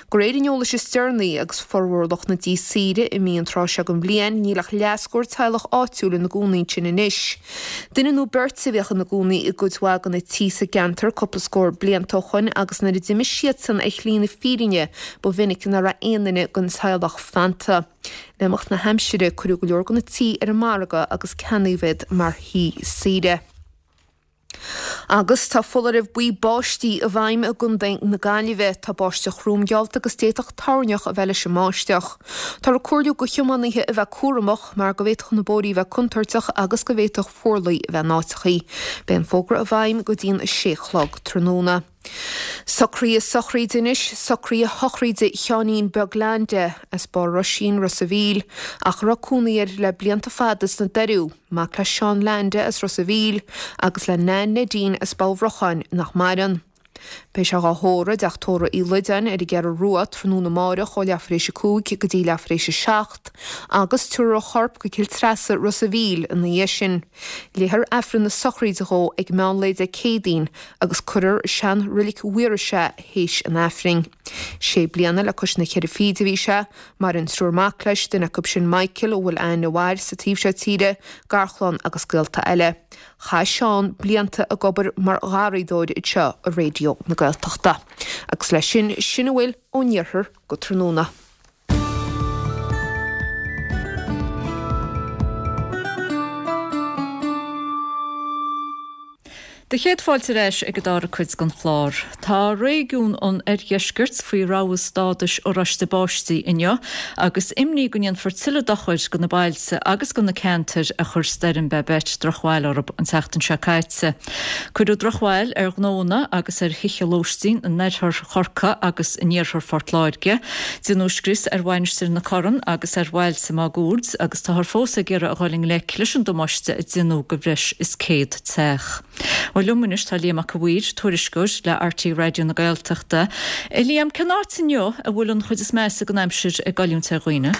De réir an eolais is deireanaí, agus formhór lucht na dtí saoire imithe an tráth seo den bhliain, níl ach leathscór teaghlach áitiúil ina gcónaí ansin anois. Duine nó beirt a bhíodh ina gcónaí i gcuid mhaith de na tí sa gceantar cúpla scór blianta ó shoin agus nuair a d'imigh siadsan ar shlí na fírinne ba mhinic nach raibh aon duine den teaghlach fanta. Le imeacht na haimsire cuireadh go leor de na tí ar an margadh agus ceannaíodh iad mar thí saoire. Agus tá foláireamh buí báistí i bhfeidhm i gContae na Gaillimhe. Tá báisteach throm geallta agus d'fhéadfadh toirneach a bheith leis an mbáisteach. Táthar ag comhairliú do thiománaithe a bheith cúramach mar go bhféadfadh na bóithrí a bheith contúirteach agus go bhféadfadh fuarlaigh a bheith in áiteachaí. Beidh an fógra i bhfeidhm go dtí'n 6 a chlog tráthnóna. Socruithe sochraide anois, socruithe shochraide Sheáinín Beag Leainde, as Barr Roisín, Ros a' Mhíl, ach a raibh cónaí air le blianta fada sna Doiriú, mac le Seán Leainde as Ros a' Mhíl agus le Nan Neidín as Balla Bhrocháin nach maireann. Beidh sé dhá thórramh i dteach tórraimh Uí Loideáin ar an gCeathrú Rua tráthnóna amáireach ó leathuair tar éis a 5 go dtí leathuair tar éis a 7 agus tabharfar a chorp go Cill Treasa, Ros a' Mhíl ina dhiaidh sin. Léifear Aifreann na sochraide dhó ag meán lae Dé Céadaoin agus cuirfear i sean-roilig Mhaorais é théis an Aifrinn. Sé bliana le cois na cheithre fichid a bhí sé. Maireann triúr mac leis, duine acu sin Michael, a bhfuil aithne mhaith air sa taobh seo tíre, garchlann agus gaolta eile. Chaith Seán blianta ag obair mar gharraíodóir anseo i Raidió na Gaeltachta. Agus leis sin, sin a bhfuil ón iarthar go tráthnóna. Do chéad fáilte ar ais ag an dara cuid den chlár. Tá réigiún an oirdheiscirt faoi rabhadh stádais oráiste báistí inniu agus imní go ndéanfar tuilleadh dochair do na bailte agus do na ceantair a chuir stoirm Babet drochbhail orthu an tseachtain seo caite. Cuireadh drochbhail ar ghnóanna agus ar thithe lóistín in oirthear Chorcaí agus in iarthar Phort Láirge. Deineadh scrios ar Mhainistir na Corann agus ar bhailte máguaird agus táthar fós ag iarraidh a dhul i ngleic leis an damáiste a deineadh do bhreis is 100 teach. Bhuel liom anois tá Liam Mac a' Mhaoir, tuairisceoir le RTÉ Raidió na Gaeltachta. A Liam, cén áit inniu a bhfuil an chuid is measa den aimsir ag goilliúint ar dhaoine?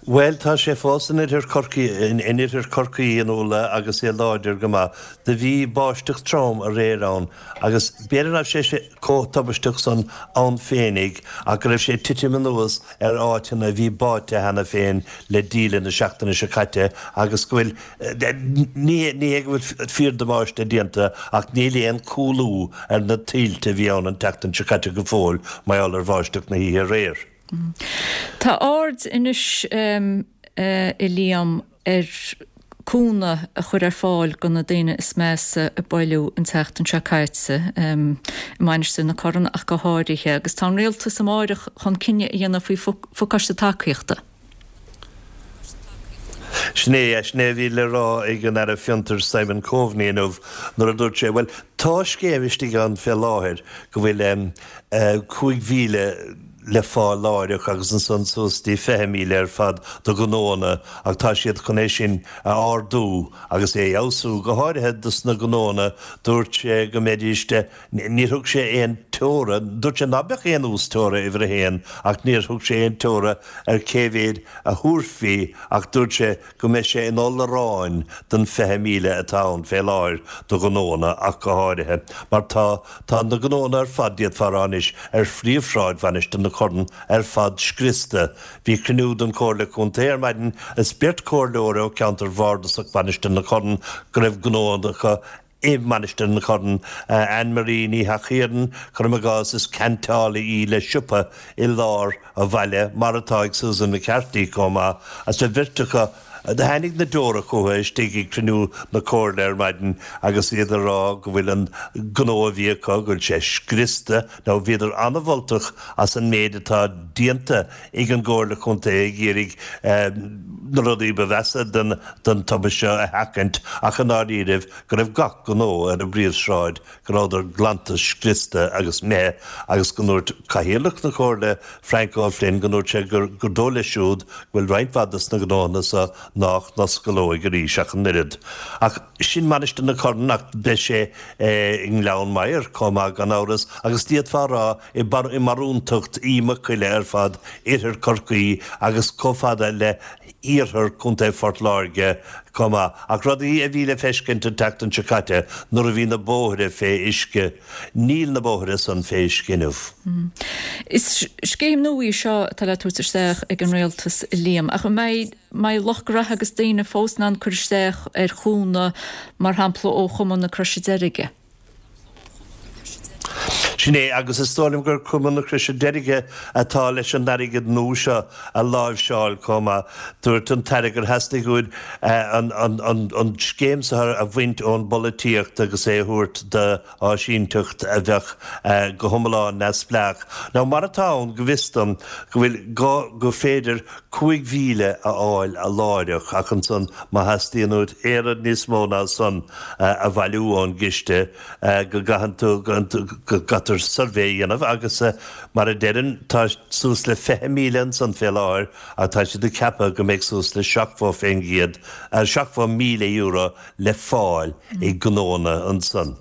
Bhuel, tá sé fós in oirthear Chorcaí, in oirthear Chorcaí, a Nuala, agus é láidir go maith. Do bhí báisteach trom aréir ann agus b'fhéidir nach raibh sé chomh tubaisteach san ann féinig ach go raibh sé ag titim anuas ar áiteanna a bhí báite cheana féin le díle na seachtaine seo caite agus go bhfuil, ní hé go bhfuil fíordamáiste déanta ach níl aon chúlú ar na tuilte a bhí ann an tseachtain seo caite go fóill mar gheall ar bháisteach na hoíche aréir. Tá aird anois, a Liam, ar cúnamh a chur ar fáil do na daoine is measa a buaileadh an tseachtain seo caite, i Mainistir na Corann ach go háirithe, agus tá an Rialtas amáireach chun cinneadh a dhéanamh faoi phacáiste tacaíochta. Sin é, sin é a bhí le rá ag an Aire Fiontair Simon Coveney inniu nuair a dúirt sé, bhuel, tá scéim istigh ann fé láthair go bhfuil 5,000 le fáil láithreach agus ansan suas dtí 20,000 ar fad do ghnóanna ach tá siad chun é sin a ardú agus é a fheabhsú, go háirithe dos na gnóanna, dúirt sé go mbeidís Níor thug sé aon teora, dúirt sé ná beadh aon uas-teora uimhir a haon ach níor thug sé aon teora ar cé mhéad a thabharfaí ach dúirt sé go mbeidh sé ina oll aráin don 20,000 atá ann fé láthair do ghnóanna ach go háirithe mar tá tá na gnóanna ar fad d'fhéadfá a rá anois ar phríomhshráid Mhainistir na Corann ar fad scriosta. Bhí cruinniú den Chomhairle Contae ar maidin is beirt chomhairleoir ó cheantar bhardasach Mhainistir na Corann go raibh gnóanna acu i Mainistir na Corann, Anne Marie Ní Sheachaoireann, cuirim i gcás, is ceantálaí í le siopa i lár an bhaile, mar atá ag Susan McCarthy chomh maith, agus an bheirt acu, tháinig na deora chucu istigh ag cruinniú na Comhairle ar maidin agus iad ag rá go bhfuil an gnó a bhí acu, go bhfuil sé scriosta. Now bhíodar an-mholtach as an méid atá déanta ag an gComhairle Chontae ag iarraidh na rudaí ba mheasa den tubaiste seo a sheachaint ach i ndáiríribh go raibh gach gnó ar an bpríomhshráid, go rabhadar glanta scriosta agus imithe agus go ndúirt Cathaoirleach na Comhairle Frank O'Flynn go ndúirt sé gur dóigh leis siúd go bhfuil roinnt mhaith dos na gnóthanna so nách n-osclóidh arís ach an oiread. Ach sin Mainistir na Corann ach beidh sé i nGleann Maghair chomh maith gan amhras agus d'fhéadfá a rá i mbarúntacht Uí Mhacoille ar fad, oirthear Chorcaí agus chomh fada le hiarthar Chontae Phort Láirge chomh maith. Ach rudaí a bhí le feiscint an tseachtain seo caite nuair a bhí na bóithre fé uisce, níl na bóithre san fé uisce inniu. Is scéim nua í seo atá le tabhairt isteach ag an Rialtas, a Liam, ach an mbeidh mbeidh lucht graithe agus daoine fós in ann cur isteach ar chúnamh, mar shampla ó Chumann na Croise Deirge? Sin é, agus is dóigh liom gur Cumann na Croise Deirge atá leis an airgead nua seo a láimhseáil chomh maith. Dúirt an tAire gur theastaigh uaidh an scéim seo a bhaint ón bpolaitíocht agus é a thabhairt d'áisínteacht a bheadh go hiomlán neamhspleách. Now mar atá ann, go bhfios dom, go bhfuil go gur féidir 5,000 a fháil láithreach ach ansan má theastaíonn uait aon rud níos mó ná san a bhailiú ón gciste, go gcaitheann tú, go gcaithfear suirbhé a dhéanamh agus mar a deirim tá suas le 20,000 ansan fé láthair ach tá siad ag ceapadh go mbeidh suas le 70%, €70,000 le fáil ag gnóanna ansan.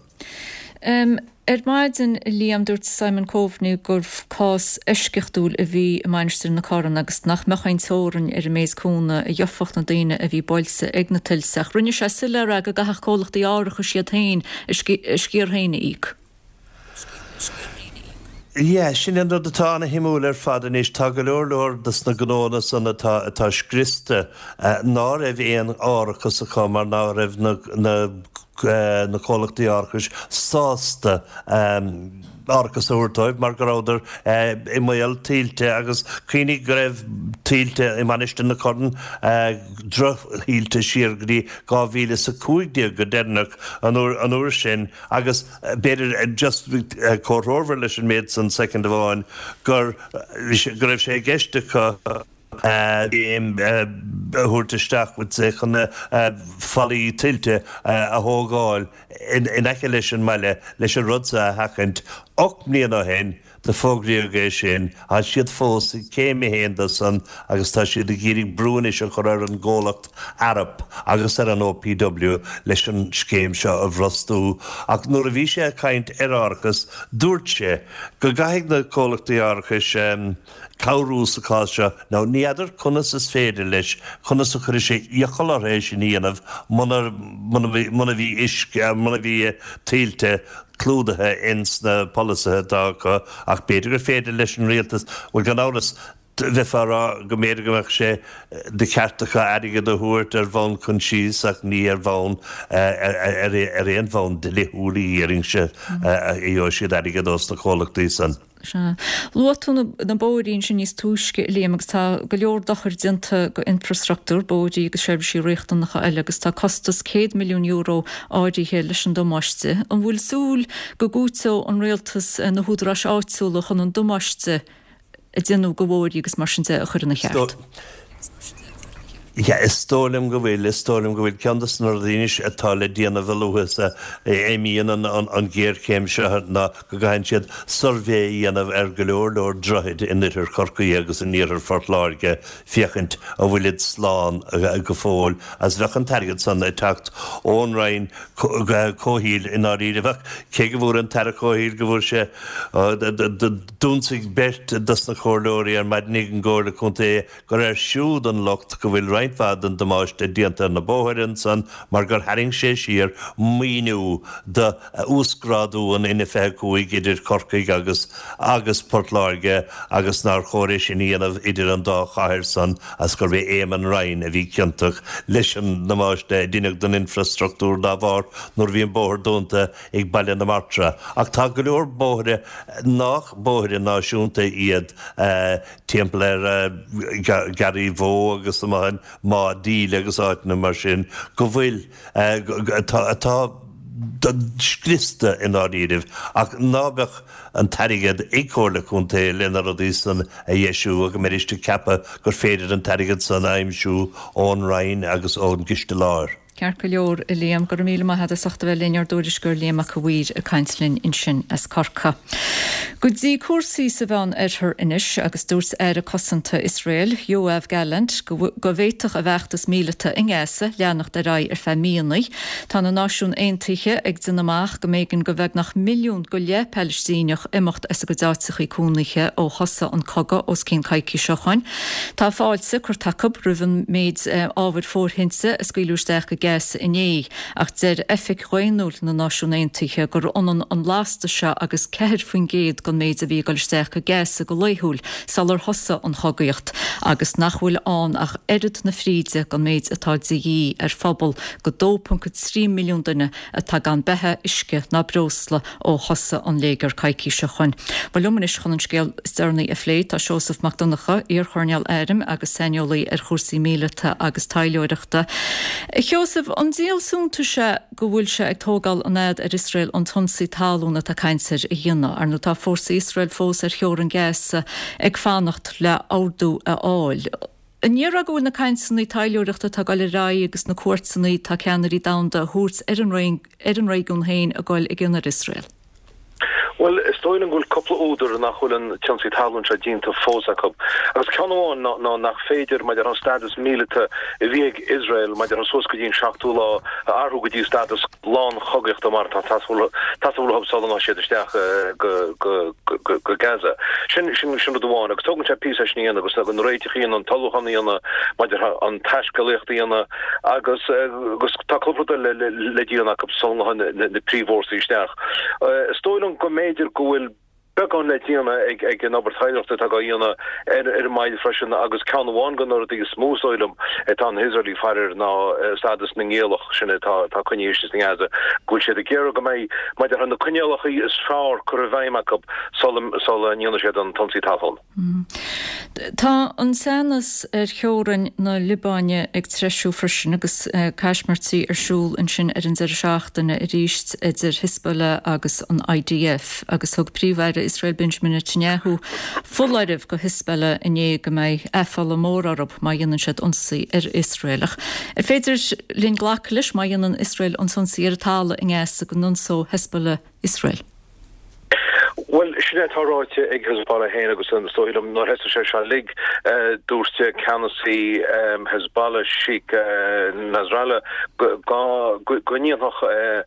Ar maidin, a Liam, dúirt Simon Coveney gur cás eisceachtúil a bhí i Mainistir na Corann agus nach mbeadh aon teorainn ar an méid cúnamh a gheofadh na daoine a bhí buailte ag na tuilte ach rinne sé soiléir go gcaithfeadh comhlachtaí árachais iad féin a sciar féin a íoc. Yeah, sin an rud atá ana-shuimiúil ar fad anois. Tá go leor leor dos na gnóanna san atá atá scriosta ná raibh aon árachas acu mar ná raibh na na na comhlachtaí árachais sásta árachas a thabhairt dóibh mar go rabhadar i mbaol tuilte agus cuimhnigh go raibh tuilte i Mainistir na Corann, drochthuilte siar go dtí 2015 go deireanach an uair sin agus b'fhéidir just comhthreomhar leis an méid san soicind amháin go raibh sé i gceist acu scéim a thabhairt isteach chun fallaí tuilte a thógáil in aice leis an mbaile leis an rud seo a sheachaint. 8 mbliana ó shin do fógraíodh é sin. Tá siad fós ag céim a haon de san agus tá siad ag iarraidh brú anois a chur ar an gcomhlacht Arup agus ar an OPW leis an scéim seo a bhrostú. Ach nuair a bhí sé ag caint ar árachas dúirt sé go gcaithfidh na comhlachtaí árachais cabhrú sa chás seo. Now, ní fheadar conas is féidir leis, conas a chuirfidh sé iachall orthu é sin a dhéanamh muna, muna bhí, muna bhí uisce, muna bhí tuilte clúdaithe ins na polasaithe atá acu ach b'fhéidir gur féidir leis an rialtas, bhuel gan amhras, bheifeá a rá go mb'fhéidir go mbeadh sé de cheart acu airgead a thabhairt ar bhonn coinsiasa ach ní ar bhonn, ar aon bhonn dlíthiúil a dhéarfainnse a gheobhaidh siad airgead ós na comhlachtaí san. Sea. Luaigh tú na bóithrí ansin níos túisce, a Liam, agus tá go leor dochair déanta go infreastruchtúr, bóithrí agus seirbhísí riachtanacha eile, agus tá costas €100 milliún áirithe leis an damáiste. An bhfuil súil go gcúiteoidh an rialtas na húdaráis áitiúla chun an damáiste a déanadh go bhóithrí agus mar sin de a chur ina cheart? Yeah, is dóigh liom go bhfuil, is dóigh liom go bhfuil. Ceann de na rudaí anois atá le déanamh a luaithe is a imíonn an ghéarchéim seo ná go gcaitheann siad suirbhé a dhéanamh ar go leor leor droichid in oirthear Chorcaí agus in iarthar Phort Láirge féachaint an bhfuilid slán go fóill agus bheadh an t-airgead san ag teacht ón Roinn Comhshaoil i ndáiríre. Bheadh, cé go bhfuair an tAire Comhshaoil go bhfuair sé, d'ionsaigh beirt dos na comhairleoirí ar maidin ag an gComhairle Contae gur air siúd an locht go bhfuil roinnt mhaith den damáiste déanta ar na bóithre ansan mar gur tharraing sé siar maoiniú do uasghrádú an N25 idir Corcaigh agus agus Port Láirge agus nár chóir é sin a dhéanamh idir an dá chathair san as gurb é Éamon Ryan a bhí ciontach leis an ndamáiste a deineadh don infreastruchtúr dá bharr nuair a bhí an bóthar dúnta ag Baile na Martra. Ach tá go leor bóithre nách bóithre náisiúnta iad timpeall ar Gharraí Bhó agus amuigh in Máigh Díle agus áiteanna mar sin go bhfuil, atá scriosta i ndáiríribh ach ná beadh an t-airgead ag Comhairle Contae le na rudaí san a dheisiú agus go mbeidís ag ceapadh gur féidir an t-airgead san a aimsiú ón Roinn agus ón gCiste Láir. Ceart go leor, a Liam. Go raibh míle maith agat as ucht a bheith linn, ár dtuairisceoir Liam Mac a' Mhaoir ag caint linn ansin as Corcaigh. Go dtí cúrsaí sa Mheán Oirthear anois agus dúirt Aire Cosanta Iosrael, Yoav Gallant, go bhféadfadh a bhfeachtas míleata i nGaza leanacht ar aghaidh ar feadh míonna. Tá na Náisiúin Aontaithe ag déanamh amach go mb'éigean do bheagnach milliún go leith Palaistíneach imeacht as a gcuid áiteachaí cónaithe ó thosaigh an cogadh os cionn coicíse ó shoin. Tá fáilte curtha acu roimh an méid ábhair fóirthinte a scaoileadh isteach go. Gaza inné ach deir oifig dhaonnúil na Náisiún Aontaithe gur ionann an lasta seo agus 4% den méid a bhí ag dul isteach go Gaza go laethúil sular thosaigh an chogaíocht agus nach bhfuil ann ach oiread na fríde den méid atá de dhíth ar phobal de 2.3 milliún duine atá gan beatha, uisce ná breosla ó thosaigh an léigear coicís ó shoin. Bhuel liom anois chun an scéal is deireanaí a phlé tá Seosamh Mac Donncha, iar-choirnéal airm agus saineolaí ar chúrsaí míleata agus taidhleoireachta. A Sheosaimh, an díol suntais é go bhfuil sé ag tógáil an fhad ar Iosrael an t-ionsaí talún atá caint air a dhéanamh? Ar ndóigh tá fórsaí Iosrael fós ar theorainn Gaza ag fanacht le ordú a fháil. An ndéarfá go bhfuil na cainteanna taidhleoireachta atá ag dul ar aghaidh agus na cuairteanna atá ceannairí domhanda a thabhairt ar an ar an réigiún féin ag dul i gcion ar Iosrael? Bhuel, is dóigh liom go bhfuil cúpla údar nach bhfuil an t-ionsaí talún seo déanta fós acu. Agus ceann amháin ná ná nach féidir, maidir an stádas míleata a bhí ag Iosrael maidir suas go dtí an seachtú lá a athrú go dtí stádas lán-chogaíochta mar atá ag teastáil uathu sula ngabhfaidh siad isteach go Gaza. Sin sin rud amháin. Agus tógann sé píosa é sin a dhéanamh agus na réitigh a dhéanamh, an t-ullmhúchán a dhéanamh maidir an taiscéalaíocht a dhéanamh agus agus tá cúpla rud eile le déanamh acu sula ngabhfaidh na príomhfhórsaí isteach. Is dóigh liom go mb'fhéidir go bhfuil beagán le déanamh ag an obair taidhleoireachta atá á dhéanamh ar an mbaile freisin agus ceann amháin de na rudaí is mó is dóigh liom atá na hIosraelaigh ag faire air ná stádas na ngiallach sin atá atá coinnithe istigh i nGaza, go bhfuil siad ag iarraidh go mbeidh maidir na coinníollacha is fearr curtha i bhfeidhm acu sula sula ndéanfaidh siad an t-ionsaí talún. Tá an teannas ar theorainn na Liobáine ag treisiú freisin agus caismirtí ar siúl ansin ar an deireadh seachtaine arís idir Hezbollah agus an IDF agus thug Príomh-Aire Iosrael Benjamin Netanyahu foláireamh go Hezbollah inné go mbeidh aiféala mór orthu má dhéanann siad ionsaí ar Iosrael. Ach an féidir linn glacadh leis má dhéanann Iosrael an t-ionsaí ar an talamh i nGaza go n-ionsóidh Hezbollah Iosrael? Bhuel, sin é atá ráite ag Hezbollah féin agus is dóigh liom nuair a thosaigh sé seo uilig, dúirt ceannasaí Hezbollah, Sheikh Nasrallah, go ndéanfadh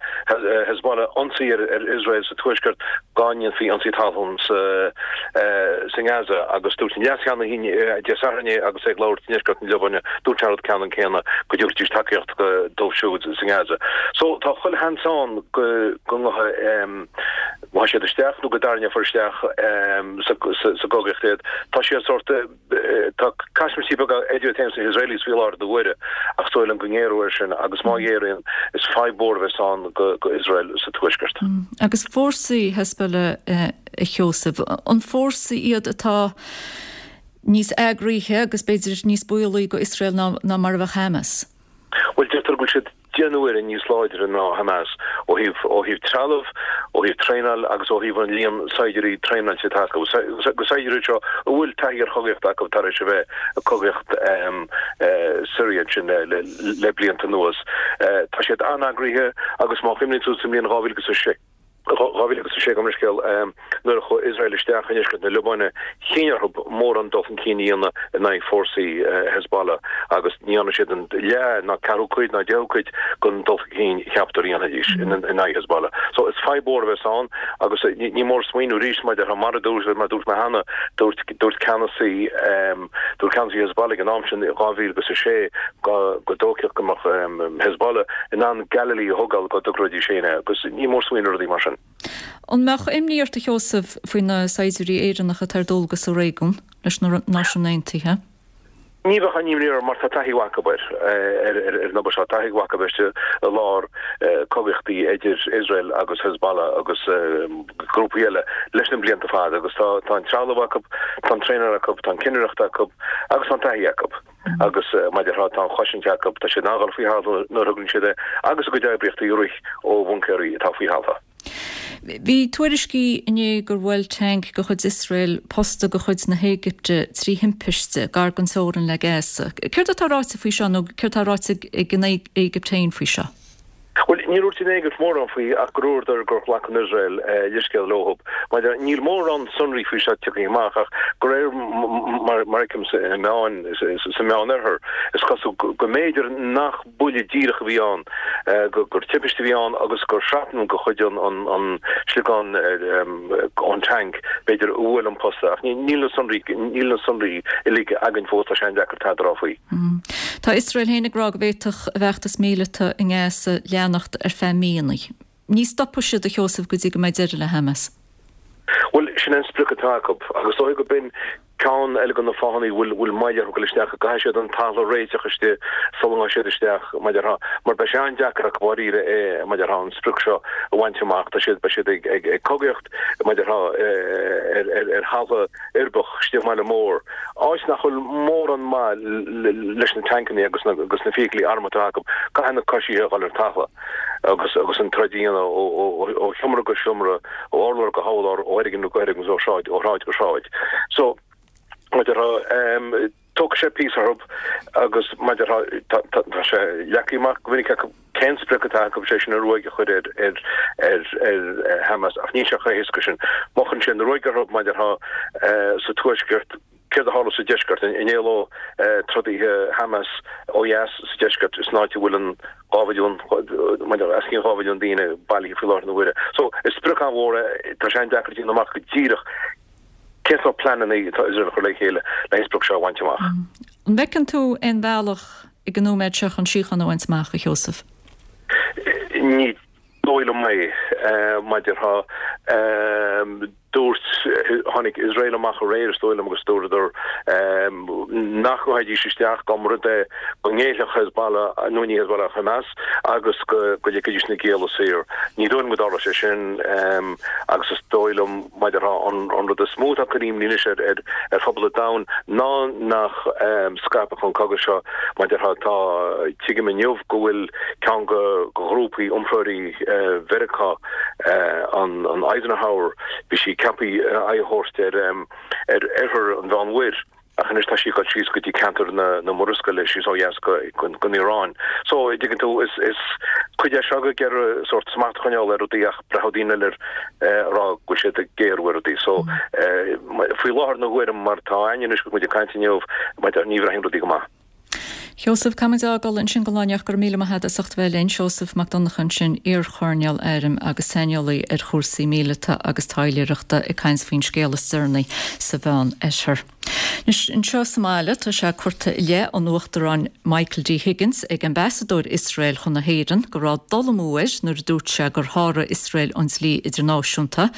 Hezbollah ionsaí ar Iosrael sa tuaisceart dá ndéanfaí ionsaí talún sa nGaza agus dúirt an leascheannasaí Dé Sathairn agus é ag labhairt i ndeisceart na Liobáine, dúirt sé an rud ceannann céanna, go dtabharfaidís tacaíocht dóibh siúd sa nGaza. So tá chuile sheans ann go ngabhfaidh ngabhfaidh siad isteach nó go dtarraingeofar isteach sa gcogaíocht iad. Tá siad sórt, tá caismirtí beaga idir iad féin is na hIsraelis faoi láthair na huaire ach is dóigh liom go ngéaróidh air sin agus má ghéaraíonn is fadhb mhór a bheas ann go Iosrael sa tuaisceart. Agus fórsaí Hezbollah a Sheosaimh, an fórsaí iad atá níos eagraithe agus b'fhéidir níos baolaí go Iosrael ná mar a bheadh Hamas? Bhuel deirtear go bhfuil siad 10 n-uaire níos láidre ná Hamas ó thaobh ó thaobh trealamh, ó thaobh traenáil agus ó thaobh an líon saighdiúirí traenáilte atá acu. Agus saighdiúirí seo a bhfuil taithí ar chogaíocht acu tar éis a bheith ag cogaíocht Syria ansin le le blianta anuas. Tá siad an-eagraithe agus má chuimhníonn tú sa mbliain 2006, 2006 gabh mo leithscéal, nuair a chuaigh Iosrael isteach i ndeisceart na Liobáine, chinn orthu mórán dul chun cinn a dhéanamh in aghaidh fórsaí Hezbollah agus ní dhearna siad an leath ná ceathrú cuid ná deichiú cuid den dul chun cinn a cheapadar a dhéanfaidís in aghaidh Hezbollah. So is fadhb mhór a bheas ann agus ní mór smaoineamh arís maidir mar a dúirt mar a dúirt mé cheana, dúirt dúirt ceannasaí dúirt ceannasaí Hezbollah ag an am sin i 2006 go go dóicheach go mbeadh Hezbollah in ann Galilee a thógáil dá dtocróidís féin é agus ní mór smaoineamh ar rudaí mar sin. An mbeadh imní ort, a Sheosaimh, faoi na saighdiúirí Éireannacha atá ar dualgas sa réigiún leis na Náisiúin Aontaithe? Ní bheadh aon imní orm mar tá taithí mhaith acu ar an obair seo, taithí mhaith acu istigh i lár cogaíochtaí idir Iosrael agus Hezbollah agus grúpaí eile leis na blianta fada agus tá an trealamh acu, tá an traenáil acu, tá an cinnireacht acu agus tá an taithí acu. Agus mar a déarfá, tá an chosaint acu, tá siad in ann a dhul faoi thalamh nuair a thograíonn siad é agus a gcuid oibríochtaí a rith ó bhuncaeirí atá faoi thalamh. Bhí tuairiscí inné gur bhuail tanc de chuid Iosrael posta de chuid na hÉigipte trí thimpiste, gar don teorainn le Gaza. Céard atá ráite faoi seo nó céard atá ráite ag an Éigipt féin faoi seo? Bhuel, níor dhúirt an Éigipt mórán faoi ach gur dhúradar gur ghlac an Iosrael leithscéal leothub. Maidir, níl mórán sonraí faoi seo tagtha amach ach de réir mar a fheicim sa meáin, sa Meánoirthear, is cosúil go mb'fhéidir nach buille díreach a bhí ann, gur timpiste a bhí ann agus gur shrapnel de chuid an sliogán ón tanc, b'fhéidir, a bhuail an posta. Ach níl na sonraí, níl na sonraí uilig againn fós, tá sé an-deacair tada a rá faoi. Tá Iosrael féin ag rá go bhféadfadh a bhfeachtas míleata i nGaza leanacht ar feadh míonna. Ní stopfaidh siad, a Sheosaimh, go dtí go mbeidh deireadh le Hamas. Bhuel, sin an sprioc atá acu, agus is dóigh go b'in ceann eile de na fáthanna a bhfuil moill orthu dul isteach, go gcaithfidh siad an talamh a réiteach istigh sula ngabhfaidh siad isteach, mar a déarfá, mar beidh sé an-deacair acu dháiríre é, mar a déarfá, an sprioc seo a bhaint amach. Tá siad, beidh siad ag cogaíocht, mar a déarfá, ar thalamh uirbeach istigh i mbaile mór, áit nach bhfuil mórán maith leis na tancanna agus na feithiclí armtha atá acu. Caithfidh na coisithe a dhul ar talamh. agus agus an troid a dhéanamh ó sheomra go seomra, ó urlár go hurlár, ó fhoirgneamh go foirgneamh, ó shráid ó shráid go sráid. So, mar a déarfá, tógfaidh sé píosa orthu agus mar a déarfá, tá sé leagtha amach go minic acu cén sprioc atá acu, sé sin an ruaig a chur ar ar ar ar Hamas ach níl sé chomh héasca sin. Má chuireann sé an ruaig orthu, mar a déarfá, sa tuaisceart, Céard a tharla sa deisceart? An éalóidh trodaithe Hamas ó dheas sa deisceart, san áit a bhfuil an 2 mhilliún, os cionn 2 mhilliún daoine bailithe faoi láthair na huaire? So, is sprioc an-mhór é. Tá sé an-deacair a dhéanamh amach go díreach cén sórt pleananna atá Iosrael a chur le chéile le an sprioc seo a bhaint amach. An bhfeiceann tú aon bhealach ag an nóiméad seo chun síocháin a bhaint amach, a Sheosaimh? Ní dóigh liom é, mar a déarfá. Dúirt, tháinig Iosrael amach aréir, is dóigh liom, agus dúradar nach ngabhfaidís isteach dá mba rud é go ngéillfeadh Hezbollah, nó ní Hezbollah, Hamas, agus go ligfidís na gialla saor. Ní dóigh liom go dtarlóidh sé sin agus is dóigh liom, mar a déarfá, an rud is mó atá ag cur imní anois ar phobal an domhain ná nach scaipfeadh an cogadh seo, mar a déarfá, tá, tuigim inniu go bhfuil ceann de ghrúpaí iompróirí Mheiriceá, an Eisenhower, bhí sí ceaptha aghaidh a thabhairt ar ar oirthear an Mheánmhuir ach anois tá sí ag dul síos go dtí ceantar na Murascaille, síos ó dheas go an Iaráin. So, an dtuigeann tú, is is cuid é seo ag iarraidh sórt smacht a choinneáil ar rudaí ach breathnóidh daoine eile air a rá go bhfuil siad ag géarú ar rudaí. So, faoi láthair na huaire mar atá againn anois agus muid ag caint inniu, ní bhreathnaíonn rudaí go maith. Sheosaimh, caithfimid a fhágáil ansin don lá inniu ach go raibh míle maith agat as ucht a bheith linn. Seosamh Mac Donncha ansin, iar-choirnéal airm agus saineolaí ar chúrsaí míleata agus taidhleoireachta ag caint faoin scéal is deireanaí sa Mheán Oirthear. Anois, anseo sa mbaile tá sé curtha i leith an Uachtaráin Michael D Higgins ag Ambasadóir Iosrael chun na hÉireann go raibh dul amú air nuair a dúirt sé gur sháraigh Iosrael an dlí idirnáisiúnta.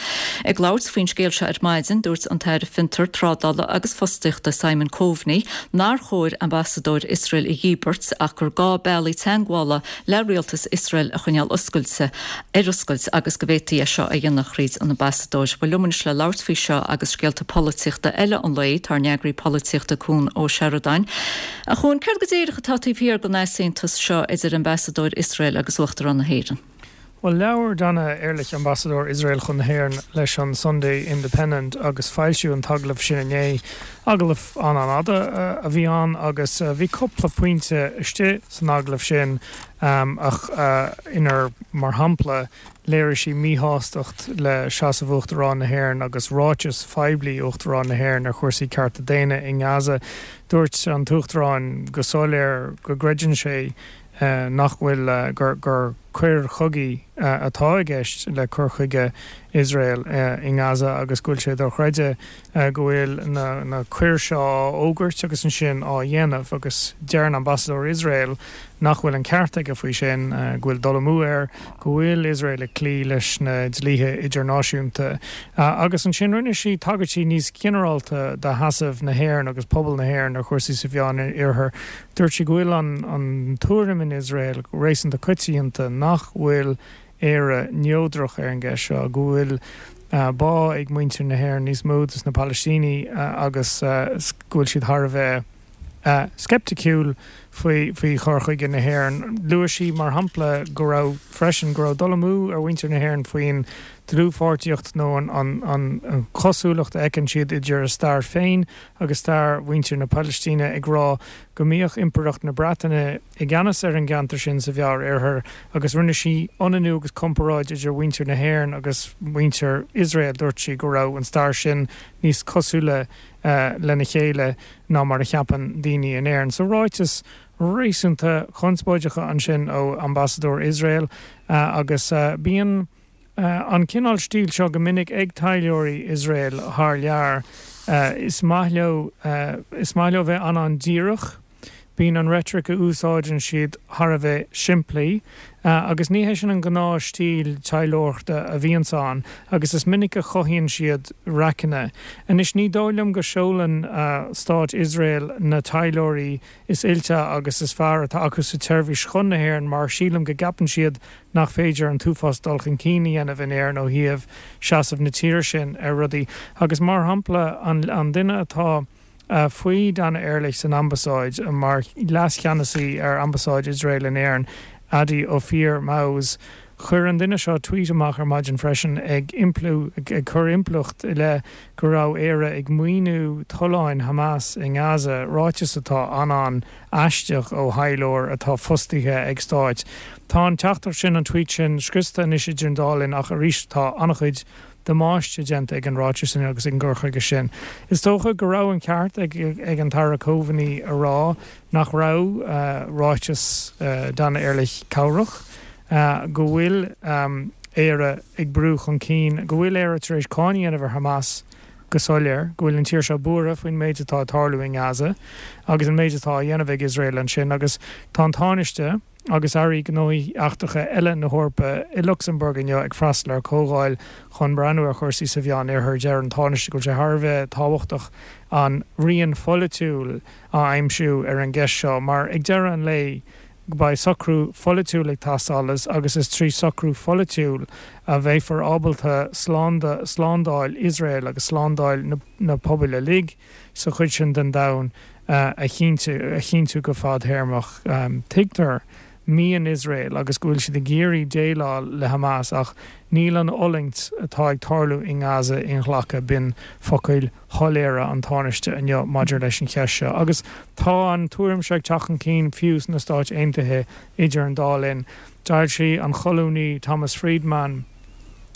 Ag labhairt faoin scéal seo ar maidin, dúirt an tAire Fiontar, Trádála agus Fostaíochta Simon Coveney nár chóir ambasadóir Iosrael a dhíbirt ach gur gá bealaí teagmhála le rialtas Iosrael a choinneáil oscailte ar oscailt agus go bhféadfaí é seo a dhéanamh thríd an ambasadóir. Bhuel, liom anois le labhairt faoi seo agus scéalta polaitíochta eile an lae, tá ár n-eagraí polaitíochta Cuan Ó Seireadáin. A Chuain, céard go díreach atá taobh thiar den easaontas seo idir ambasadóir Iosrael agus Uachtarán na hÉireann? Bhuel, labhair Dana Erlich, Ambasadóir Iosrael chun na hÉireann, leis an Sunday Independent agus foilsíodh an t-agallamh sin inné. Agallamh an-an-fhada a bhí ann agus bhí cúpla pointe istigh san agallamh sin ach inar, mar shampla, léirigh sí míshástacht le seasamh Uachtarán na hÉireann agus ráitis phoiblí Uachtarán na hÉireann ar chúrsaí cearta daonna i nGaza. Dúirt an tUachtarán go soiléir go gcreideann sé nach bhfuil, gur coir chogaidh atá i gceist le cur chuige Iosrael i nGaza agus go bhfuil sé dochreidte go bhfuil na coir seo á fhógairt agus ansin á dhéanamh agus deireann ambasadóir Iosrael nach bhfuil an ceart aige faoi sin, go bhfuil dul amú air, go bhfuil Iosrael ag cloí leis na dlíthe idirnáisiúnta. Agus ansin rinne sí tagairtí níos ginearálta do sheasamh na hÉireann agus pobal na hÉireann ar chúrsaí sa Mheán-Oirthear. Dúirt sí go bhfuil an tuairim in Iosrael réasúnta coitianta nach bhfuil Éire neodrach ar an gceist seo, go bhfuil bá ag muintir na hÉireann níos mó dos na Palaistínigh agus go bhfuil siad thar a bheith sceipticiúil faoi chur chuige na hÉireann. Luaigh sí, mar shampla, go raibh freisin go raibh dul amú ar mhuintir na hÉireann faoin dlúthpháirtíocht nó an chosúlacht a fheiceann siad idir a stair féin agus stair mhuintir na Palaistíne, ag rá go mbíodh Impireacht na Breataine i gceannas ar an gceantar sin sa Mheánoirthear agus rinne sí ionannú agus comparáid idir mhuintir na hÉireann agus muintir Iosrael. Dúirt sí go raibh an stair sin níos cosúla lena chéile ná mar a cheapann daoine in Éirinn. So ráiteas réasúnta conspóideacha ansin ó ambasadóir Iosrael agus bíonn An cineál stíl seo go minic ag taidhleoirí Iosrael thar lear. Is maith leo, is maith leo bheith an-an-díreach. Bíonn an reitric a úsáideann siad thar a bheith simplí agus ní hé sin an gnáth stíl taidhleoireachta a bhíonns ann agus is minic a chothaíonn siad raiceanna. Anois ní dóigh liom go seolann Stát Iosrael na taidhleoirí is oilte agus is fearr atá acu sa tseirbhís chun na hÉireann mar sílim go gceapann siad nach féidir an t-uafás dul chun cinn a dhéanamh in Éirinn ó thaobh seasamh na tíre sin ar rudaí. Agus mar shampla an duine atá faoi Dana Erlich san Ambasáid mar leascheannasaí ar Ambasáid Iosrael in Éirinn, Adi Ophir Maoz, chuir an duine seo tweet amach ar maidin freisin ag impliú, ag cur impleacht i leith go raibh Éire ag maoiniú tolláin Hamas i nGaza, ráiteas atá an-an-aisteach ó thaidhleoir atá fostaithe ag stáit. Tá an teachtaireacht sin, an tweet sin, scriosta anois idir an dá linn ach arís tá an-chuid damáiste déanta ag an ráiteas sin agus ag an gcur chuige sin. Is dócha go raibh an ceart ag an tAire Coveney a rá nach raibh ráiteas Dana Erlich cabhrach, go bhfuil Éire ag brú chun cinn, go bhfuil Éire tar éis cáineadh a dhéanamh ar Hamas go soiléir, go bhfuil an tír seo buartha faoin méid atá ag tarlú i nGaza agus an méid atá á dhéanamh ag Iosrael ansin agus tá an Tánaiste agus airí gnóthaí eachtracha eile na hEorpa i Lucsamburg inniu ag freastal ar chomhdháil chun breathnú ar chúrsaí sa Mheán-Oirthear. Deir an Tánaiste go bhfuil sé thar a bheith tábhachtach an rian pholaitiúil a aimsiú ar an gceist seo mar ag deireadh an lae beidh socrú pholaitiúil ag teastáil agus is trí socrú pholaitiúil a bheifear ábalta slándáil Iosrael agus slándáil na pobail uilig sa chuid sin den domhan a chinntiú go fadthéarmach. Tuigtear mian Iosrael agus go bhfuil siad ag iarraidh déileáil le Hamas ach níl an fhulaingt atá ag tarlú i nGaza inghlactha, b'in focail shoiléire an Tánaiste inniu maidir leis an cheist seo. Agus tá an tuairim seo ag teacht chun cinn fiú sna Stáit Aontaithe idir an dá linn. D'fhoilsigh an colúnaí Thomas Friedman,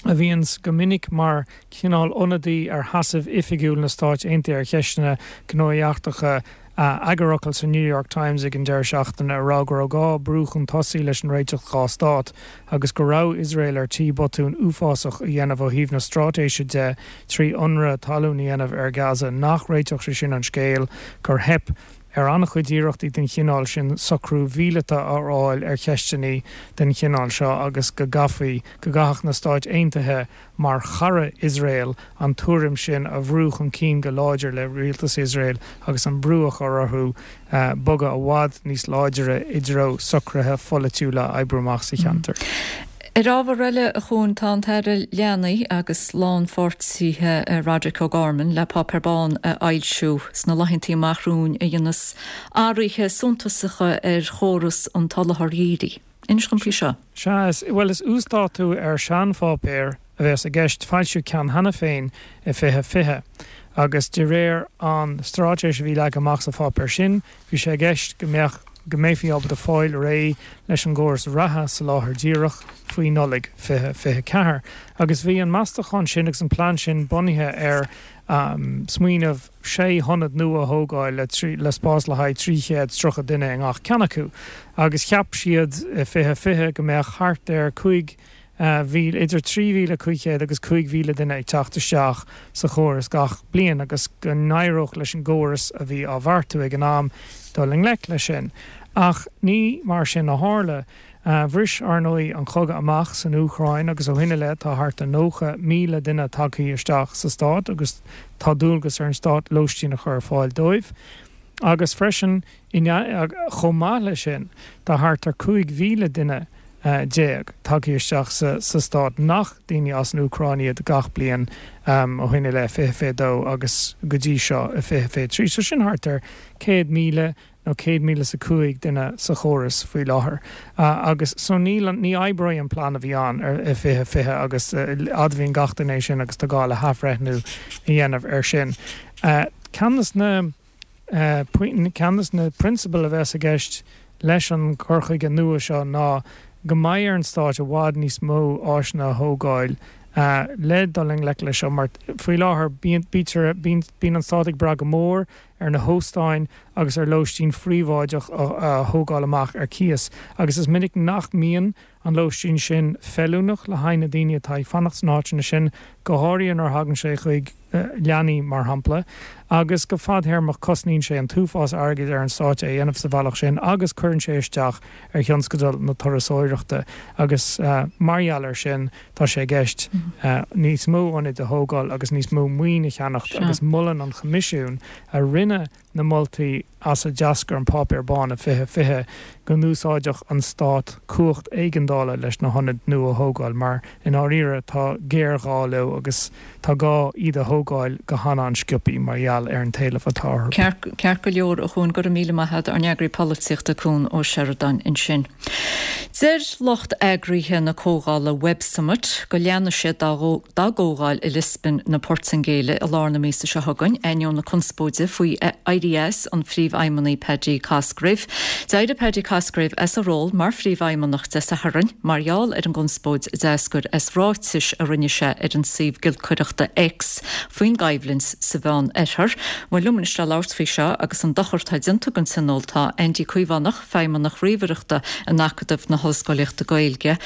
a bhíonns go minic mar chineál ionadaí ar sheasamh oifigiúil na Stáit Aontaithe ar cheisteanna gnóthaí eachtracha, eagarfhocal sa New York Times ag an deireadh seachtaine a rá go raibh gá brú chun tosaigh leis an réiteach dhá stát agus go raibh Iosrael ar tí botún uafásach a dhéanamh ó thaobh na straitéise de trí ionradh talún a dhéanamh ar Gaza, nach réiteodh sé sin an scéal, gur theip ar an-chuid iarrachtaí den chineál sin socrú míleata a fháil ar cheisteanna den chineál seo agus go gcaithfí, go gcaithfeadh na Stáit Aontaithe mar chara Iosrael an tuairim sin a bhrú chun cinn go láidir le rialtas Iosrael agus an brú a chur orthu bogadh i bhfad níos láidire i dtreo socruithe pholaitiúla a oibriú amach sa cheantar. Ar ábhar eile, a Chuain, tá an tAire Leanaí agus Lánpháirtithe Roderic O'Gorman le Páipéar Bán a fhoilsiú sna laethantaí amach romhainn a dhéanfas athruithe suntasacha ar chóras an tsoláthair dhírigh. Inis dom faoi seo. Sea, is, bhuel, is uasdátú ar sheanpháipéar a bheas i gceist. Foilsíodh ceann cheana féin i 2020 agus de réir an straitéis a bhí leagtha amach sa pháipéar sin, bhí sé i gceist go mbeadh, go mbeifí ábalta fáil réidh leis an gcóras reatha soláthair díreach faoi Nollaig 2024. Agus bhí an meastachán sin agus an plean sin bunaithe ar smaoineamh sé hionad nua a thógáil le spás le haghaidh 330 duine i ngach ceann acu agus cheap siad i 2020 go mbeadh thart ar 5,000, idir 3,500 agus 5,000 duine ag teacht isteach sa chóras gach bliain agus go n-éireodh leis an gcóras a bhí á bheartú ag an am dul i ngleic leis sin. Ach ní mar sin a tharla. Bhris, ar ndóigh, an cogadh amach san Úcráin agus ó shin i leith tá thart ar 90,000 duine tagtha isteach sa stát agus tá dualgas ar an stát lóistín a chur ar fáil dóibh. Agus freisin, chomh maith leis sin, tá thart ar 15,000 duine tagtha isteach sa stát nach daoine as an Úcráin iad gach bliain ó shin i leith, 2022 agus go dtí seo i 2023. So sin thart ar 100,000 nó 100,005 duine sa chóras faoi láthair agus so níl an, ní oibreoidh an plean a bhí ann i 2020 agus admhaíonn gach duine é sin agus tá gá le hathbhreithniú a dhéanamh air sin. Ceann des na, ceann des na prionsabail a bheas i gceist leis an gcur chuige nua seo ná go mbeidh ar an Stát i bhfad níos mó áiseanna a thógáil le dul i ngleic leis seo mar faoi láthair bíonn, bítear, bíonn an Stát ag brath go mór ar na hóstáin agus ar lóistín phríobháideach a thógáil amach ar cíos agus is minic nach mbíonn an lóistín sin feiliúnach le haghaidh na daoine atá ag fanacht sna háiteanna sin, go háirithe nuair a thagann sé chuig leanaí, mar shampla, agus go fadthéarmach cosnaíonn sé an t-uafás airgid ar an Stát é a dhéanamh sa bhealach sin agus cuireann sé isteach ar thionscadal na turasóireachta agus mar gheall air sin tá sé i gceist níos mó ionaid a thógáil agus níos mó maoin a cheannacht agus molann an Choimisiún a rinne na moltaí as a d'eascair an Páipéar Bán i 2020 go n-úsáidfeadh an Stát cumhacht éigeandála leis na hionaid nua a thógáil mar, i ndáiríre, tá géarghá leo agus tá gá iad a thógáil go han-an-sciobthaí mar gheall ar an t-éileamh atá orthu. Ceart go leor, a Chuain, go raibh míle maith agat, ár n-eagraí polaitíochta Cuan Ó Seireadáin ansin. Deir lucht eagraithe na comhdhála Web Summit go leanfaidh siad dá dá gcomhdháil i Liospóin na Portaingéile i lár na míosa seo chugainn, ainneoin na conspóide faoi éirí as an phríomhfheidhmeannaigh Paddy Cosgrave. D'éirigh Paddy Cosgrave as a ról mar phríomhfheidhmeannach Dé Sathairn mar gheall ar an gconspóid a d'eascair as ráitis a rinne sé ar an suíomh giolcaireachta X faoin gcoimhlint sa Mheán Oirthear. Bhuel, liom anois le labhairt faoi seo agus an dochar atá déanta don Tionól tá Andy Caomhánach, Feidhmeannach Ríomhaireachta in Acadamh na hOllscolaíochta Gaeilge.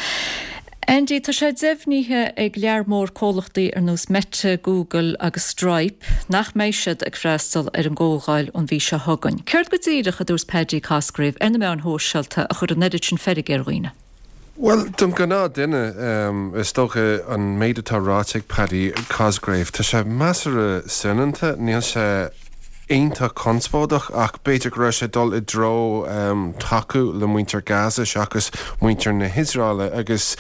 Andy, tá sé deimhnithe ag lear mór comhlachtaí ar nós Meta, Google agus Stripe nach mbeidh siad ag freastal ar an gcomhdháil an mhí seo chugainn. Céard go díreach a dúirt Paddy Cosgrave ar na meáin shóisialta a chuir an oiread sin feirge ar dhaoine? Bhuel, don ghnáth-duine, is dócha, an méid atá ráite ag Paddy Cosgrave, tá sé measartha soineanta, níl sé iontach conspóideach ach b'fhéidir go raibh sé ag dul i dtreo tacú le muintir Gaza seachas muintir na hIosraeile agus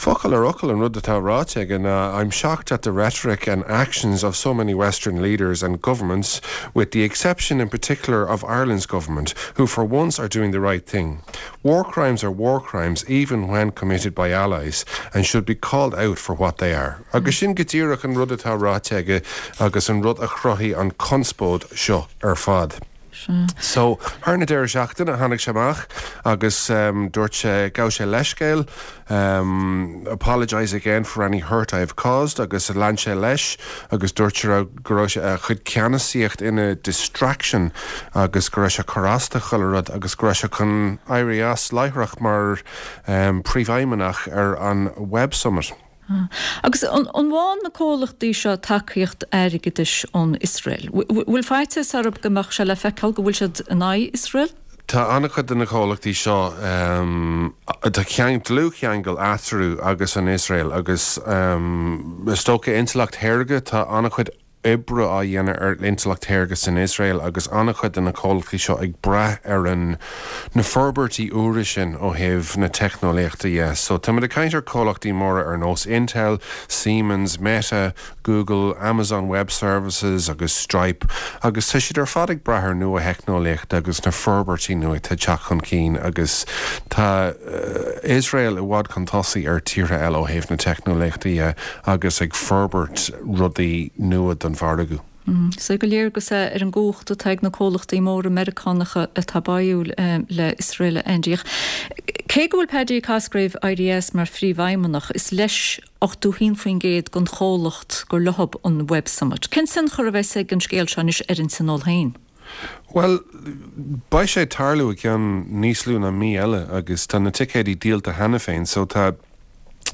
focal ar fhocal an rud atá ráite aige ná I'm shocked at the rhetoric and actions of so many western leaders and governments with the exception in particular of Ireland's government who for once are doing the right thing. War crimes are war crimes even when committed by allies and should be called out for what they are. Agus sin go díreach an rud atá ráite aige agus an rud a chruthaigh an conspóid seo ar fad. So, thar na deireadh seachtaine tháinig sé amach agus dúirt sé, ghabh sé leithscéal, apologise again for any hurt I have caused agus lean sé leis agus dúirt sé go raibh a chuid ceannasaíocht ina distraction agus go raibh sé ag cur as do chuile rud agus go raibh sé chun éirí as láithreach mar phríomhfheidhmeannach ar an Web Summit. Agus an bhfaigheann na comhlachtaí seo tacaíocht airgeadais ón Iosrael? Bhfuil faitíos orthu go mbeadh sé le feiceáil go bhfuil siad in aghaidh Iosrael? Tá an-chuid de na comhlachtaí seo, tá dlúthcheangal eatarthu agus an Iosrael agus is dócha intleacht shaorga, tá an-chuid oibre á dhéanamh ar intleacht shaorga san Iosrael agus an-chuid de na comhlachtaí seo ag brath ar an na forbairtí úra sin ó thaobh na teicneolaíochta dhe. So táimid ag caint ar comhlachtaí móra ar nós Intel, Siemens, Meta, Google, Amazon Web Services agus Stripe agus tá siad ar fad ag brath ar nua-theicneolaíocht agus na forbairtí nua atá ag teacht chun cinn agus tá Iosrael i bhfad chun tosaigh ar tíortha eile ó thaobh na teicneolaíochta dhe agus ag forbairt rudaí nua don mhargadh. Is go léir agus é ar an gcumhacht atá ag na comhlachtaí móra Meiriceánacha atá báúil le Iosrael, a Andy. Ach cé go bhfuil Paddy Cosgrave éirithe as mar phríomhfheidhmeannach, is leis 81% den chomhlacht gur leothab an Web Summit. Cén tionchar a bheas ag an scéal seo anois ar an Tionól féin? Bhuel, beidh sé ag tarlú i gceann níos lú ná mí eile agus tá na ticéidí díolta cheana féin so tá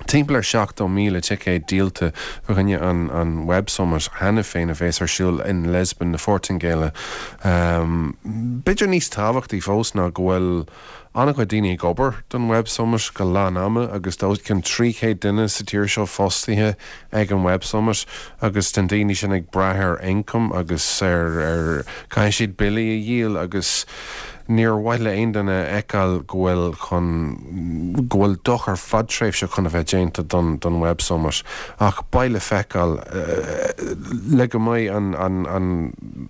timpeall ar 70,000 ticéad díolta fá choinne an an Web Summit cheana féin a bheas ar siúl in Lisbon na Portaingéile. B'fhéidir níos tábhachtaí fós ná go bhfuil an-chuid daoine ag obair don Web Summit go lán ama agus tá os cionn 300 duine sa tír seo fostaithe ag an Web Summit agus tá na daoine sin ag brath ar ioncam agus ar ar caithfidh siad billí a dhíol agus níor mhaith le aon duine a fheiceáil go bhfuil chun go bhfuil dochar fadtréimhseach chun a bheith déanta don don Web Summit ach beidh le feiceáil le go mbeidh an an an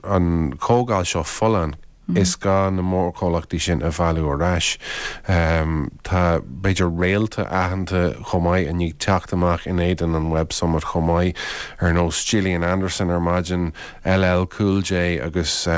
an chomhdháil seo folláin. Is gá na mórchomhlachtaí sin a mhealladh ar ais. Tá, b'fhéidir, réalta aitheanta chomh maith i ndiaidh teacht amach in éadan an Web Summit chomh maith, ar nós Gillian Anderson ar maidin, LL Cool J agus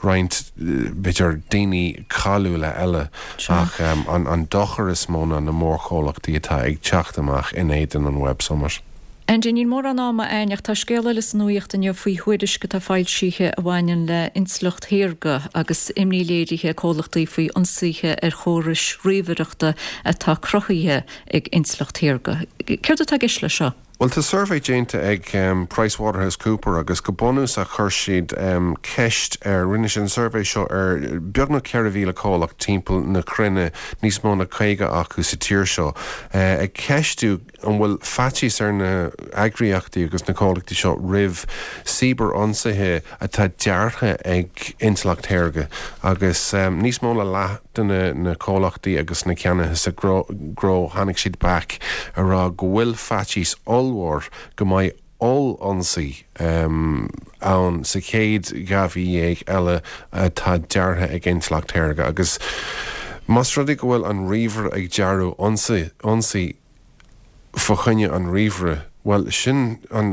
roinnt, b'fhéidir, daoine cáiliúla eile. Ach an dochar is mó ná na mórchomhlachtaí atá ag teacht amach in éadan an Web Summit. Andy, níl mórán ama a'ainn ach tá scéal eile sa nuaíocht inniu faoi thuairisc atá foilsithe a bhaineann le intleacht shaorga agus imní léirithe ag comhlachtaí faoi ionsaithe ar chórais ríomhaireachta atá cruthaithe ag intleacht shaorga. Céard atá i gceist leis seo? Bhuel, tá suirbhé déanta ag Price Waterhouse Cooper agus go bunúsach chuir siad ceist ar, rinne siad an suirbhé seo ar beagnach 4,000 comhlacht timpeall na cruinne, níos mó na 50 acu sa tír seo, ag ceistiú an bhfuil faitíos ar na heagraíochtaí agus na comhlachtaí seo roimh cibear-ionsaithe atá deartha ag intleacht shaorga agus níos mó na leath de na comhlachtaí agus na ceannaithe sa ghnó tháinig siad back a rá go bhfuil faitíos ollmhór go mbeidh oll-ionsaí ann sa chéad 12 mhí eile atá deartha ag intleacht shaorga agus más rud é go bhfuil an ríomhaire ag dearadh ionsaí fá choinne an ríomhaire, bhuel, sin an,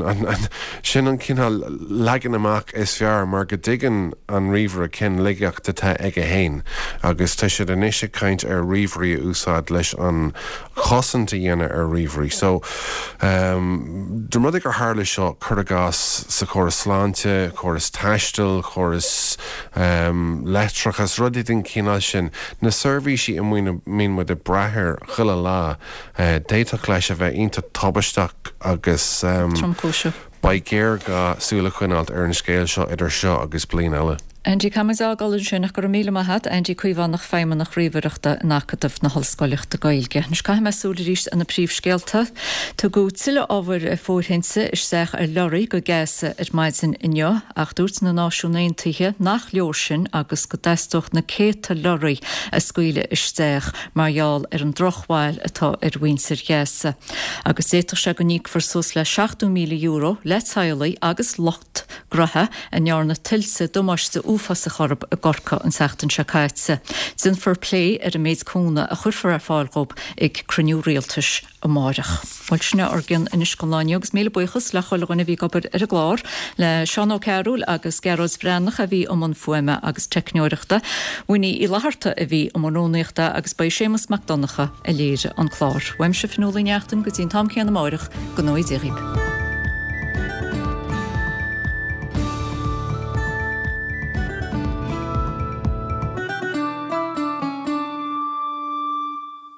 sin an cineál leagan amach is fearr mar go dtuigeann an ríomhaire cén laigeacht atá aige fhéin agus tá siad anois ag caint ar ríomhairí a úsáid leis an chosaint a dhéanamh ar ríomhairí. So, dá mba rud é gur tharla seo, cuir i gcás sa chóras sláinte, córas taistil, córas leictreachas, rudaí den chineál sin, na seirbhísí a mbíonn muid ag brath air chuile lá, D'fhéadfadh leis a bheith iontach tubaisteach agus tromchúiseach. Beidh géarghá súil a choinneáilt ar an scéal seo idir seo agus bliain eile. Andy, caithfimid a fhágáil ansin ach go raibh míle maith a't, Andy Caomhánach, Feidhmeannach Ríomhaireachta in Acadamh na hOllscoileachta Gaeilge. Anois caithfidh mé súil arís ar na príomhscéalta. Tugadh tuilleadh ábhair fóirithinte isteach ar leoraí go Gaza ar maidin inniu ach dúirt na Náisiúin Aontaithe nach leor sin agus go dteastódh na céadta leoraí a scaoileadh isteach mar gheall ar an drochbhail atá ar mhuintir Ghaza agus d'fhéadfadh sé go n-íocfar suas le €70,000 le teaghlaigh agus lucht graithe a ndearna tuilte damáiste uafásach orthu i gCorcaigh an tseachtain seo caite. Déanfar plé ar an méid cúnamh a chuirfear ar fáil dhóibh ag cruinniú rialtais. amáireach. Bhuel, sin é ár gcion anois don lá inniu agus míle buíochas le chuile dhuine a bhí ag obair ar an gclár, le Seán Ó Cearúil agus Gearóid Breathnach a bhí i mbun fuaime agus teicneoireachta, Winnie Uí Fhlatharta a bhí i mbun rúnaíochta agus ba é Séamus Mac Donncha a léirigh an clár. Uaimse Fionnuala Ní Neachtain go dtí an t-am céanna amáireach, go ngnóthaí Dia dhaoib.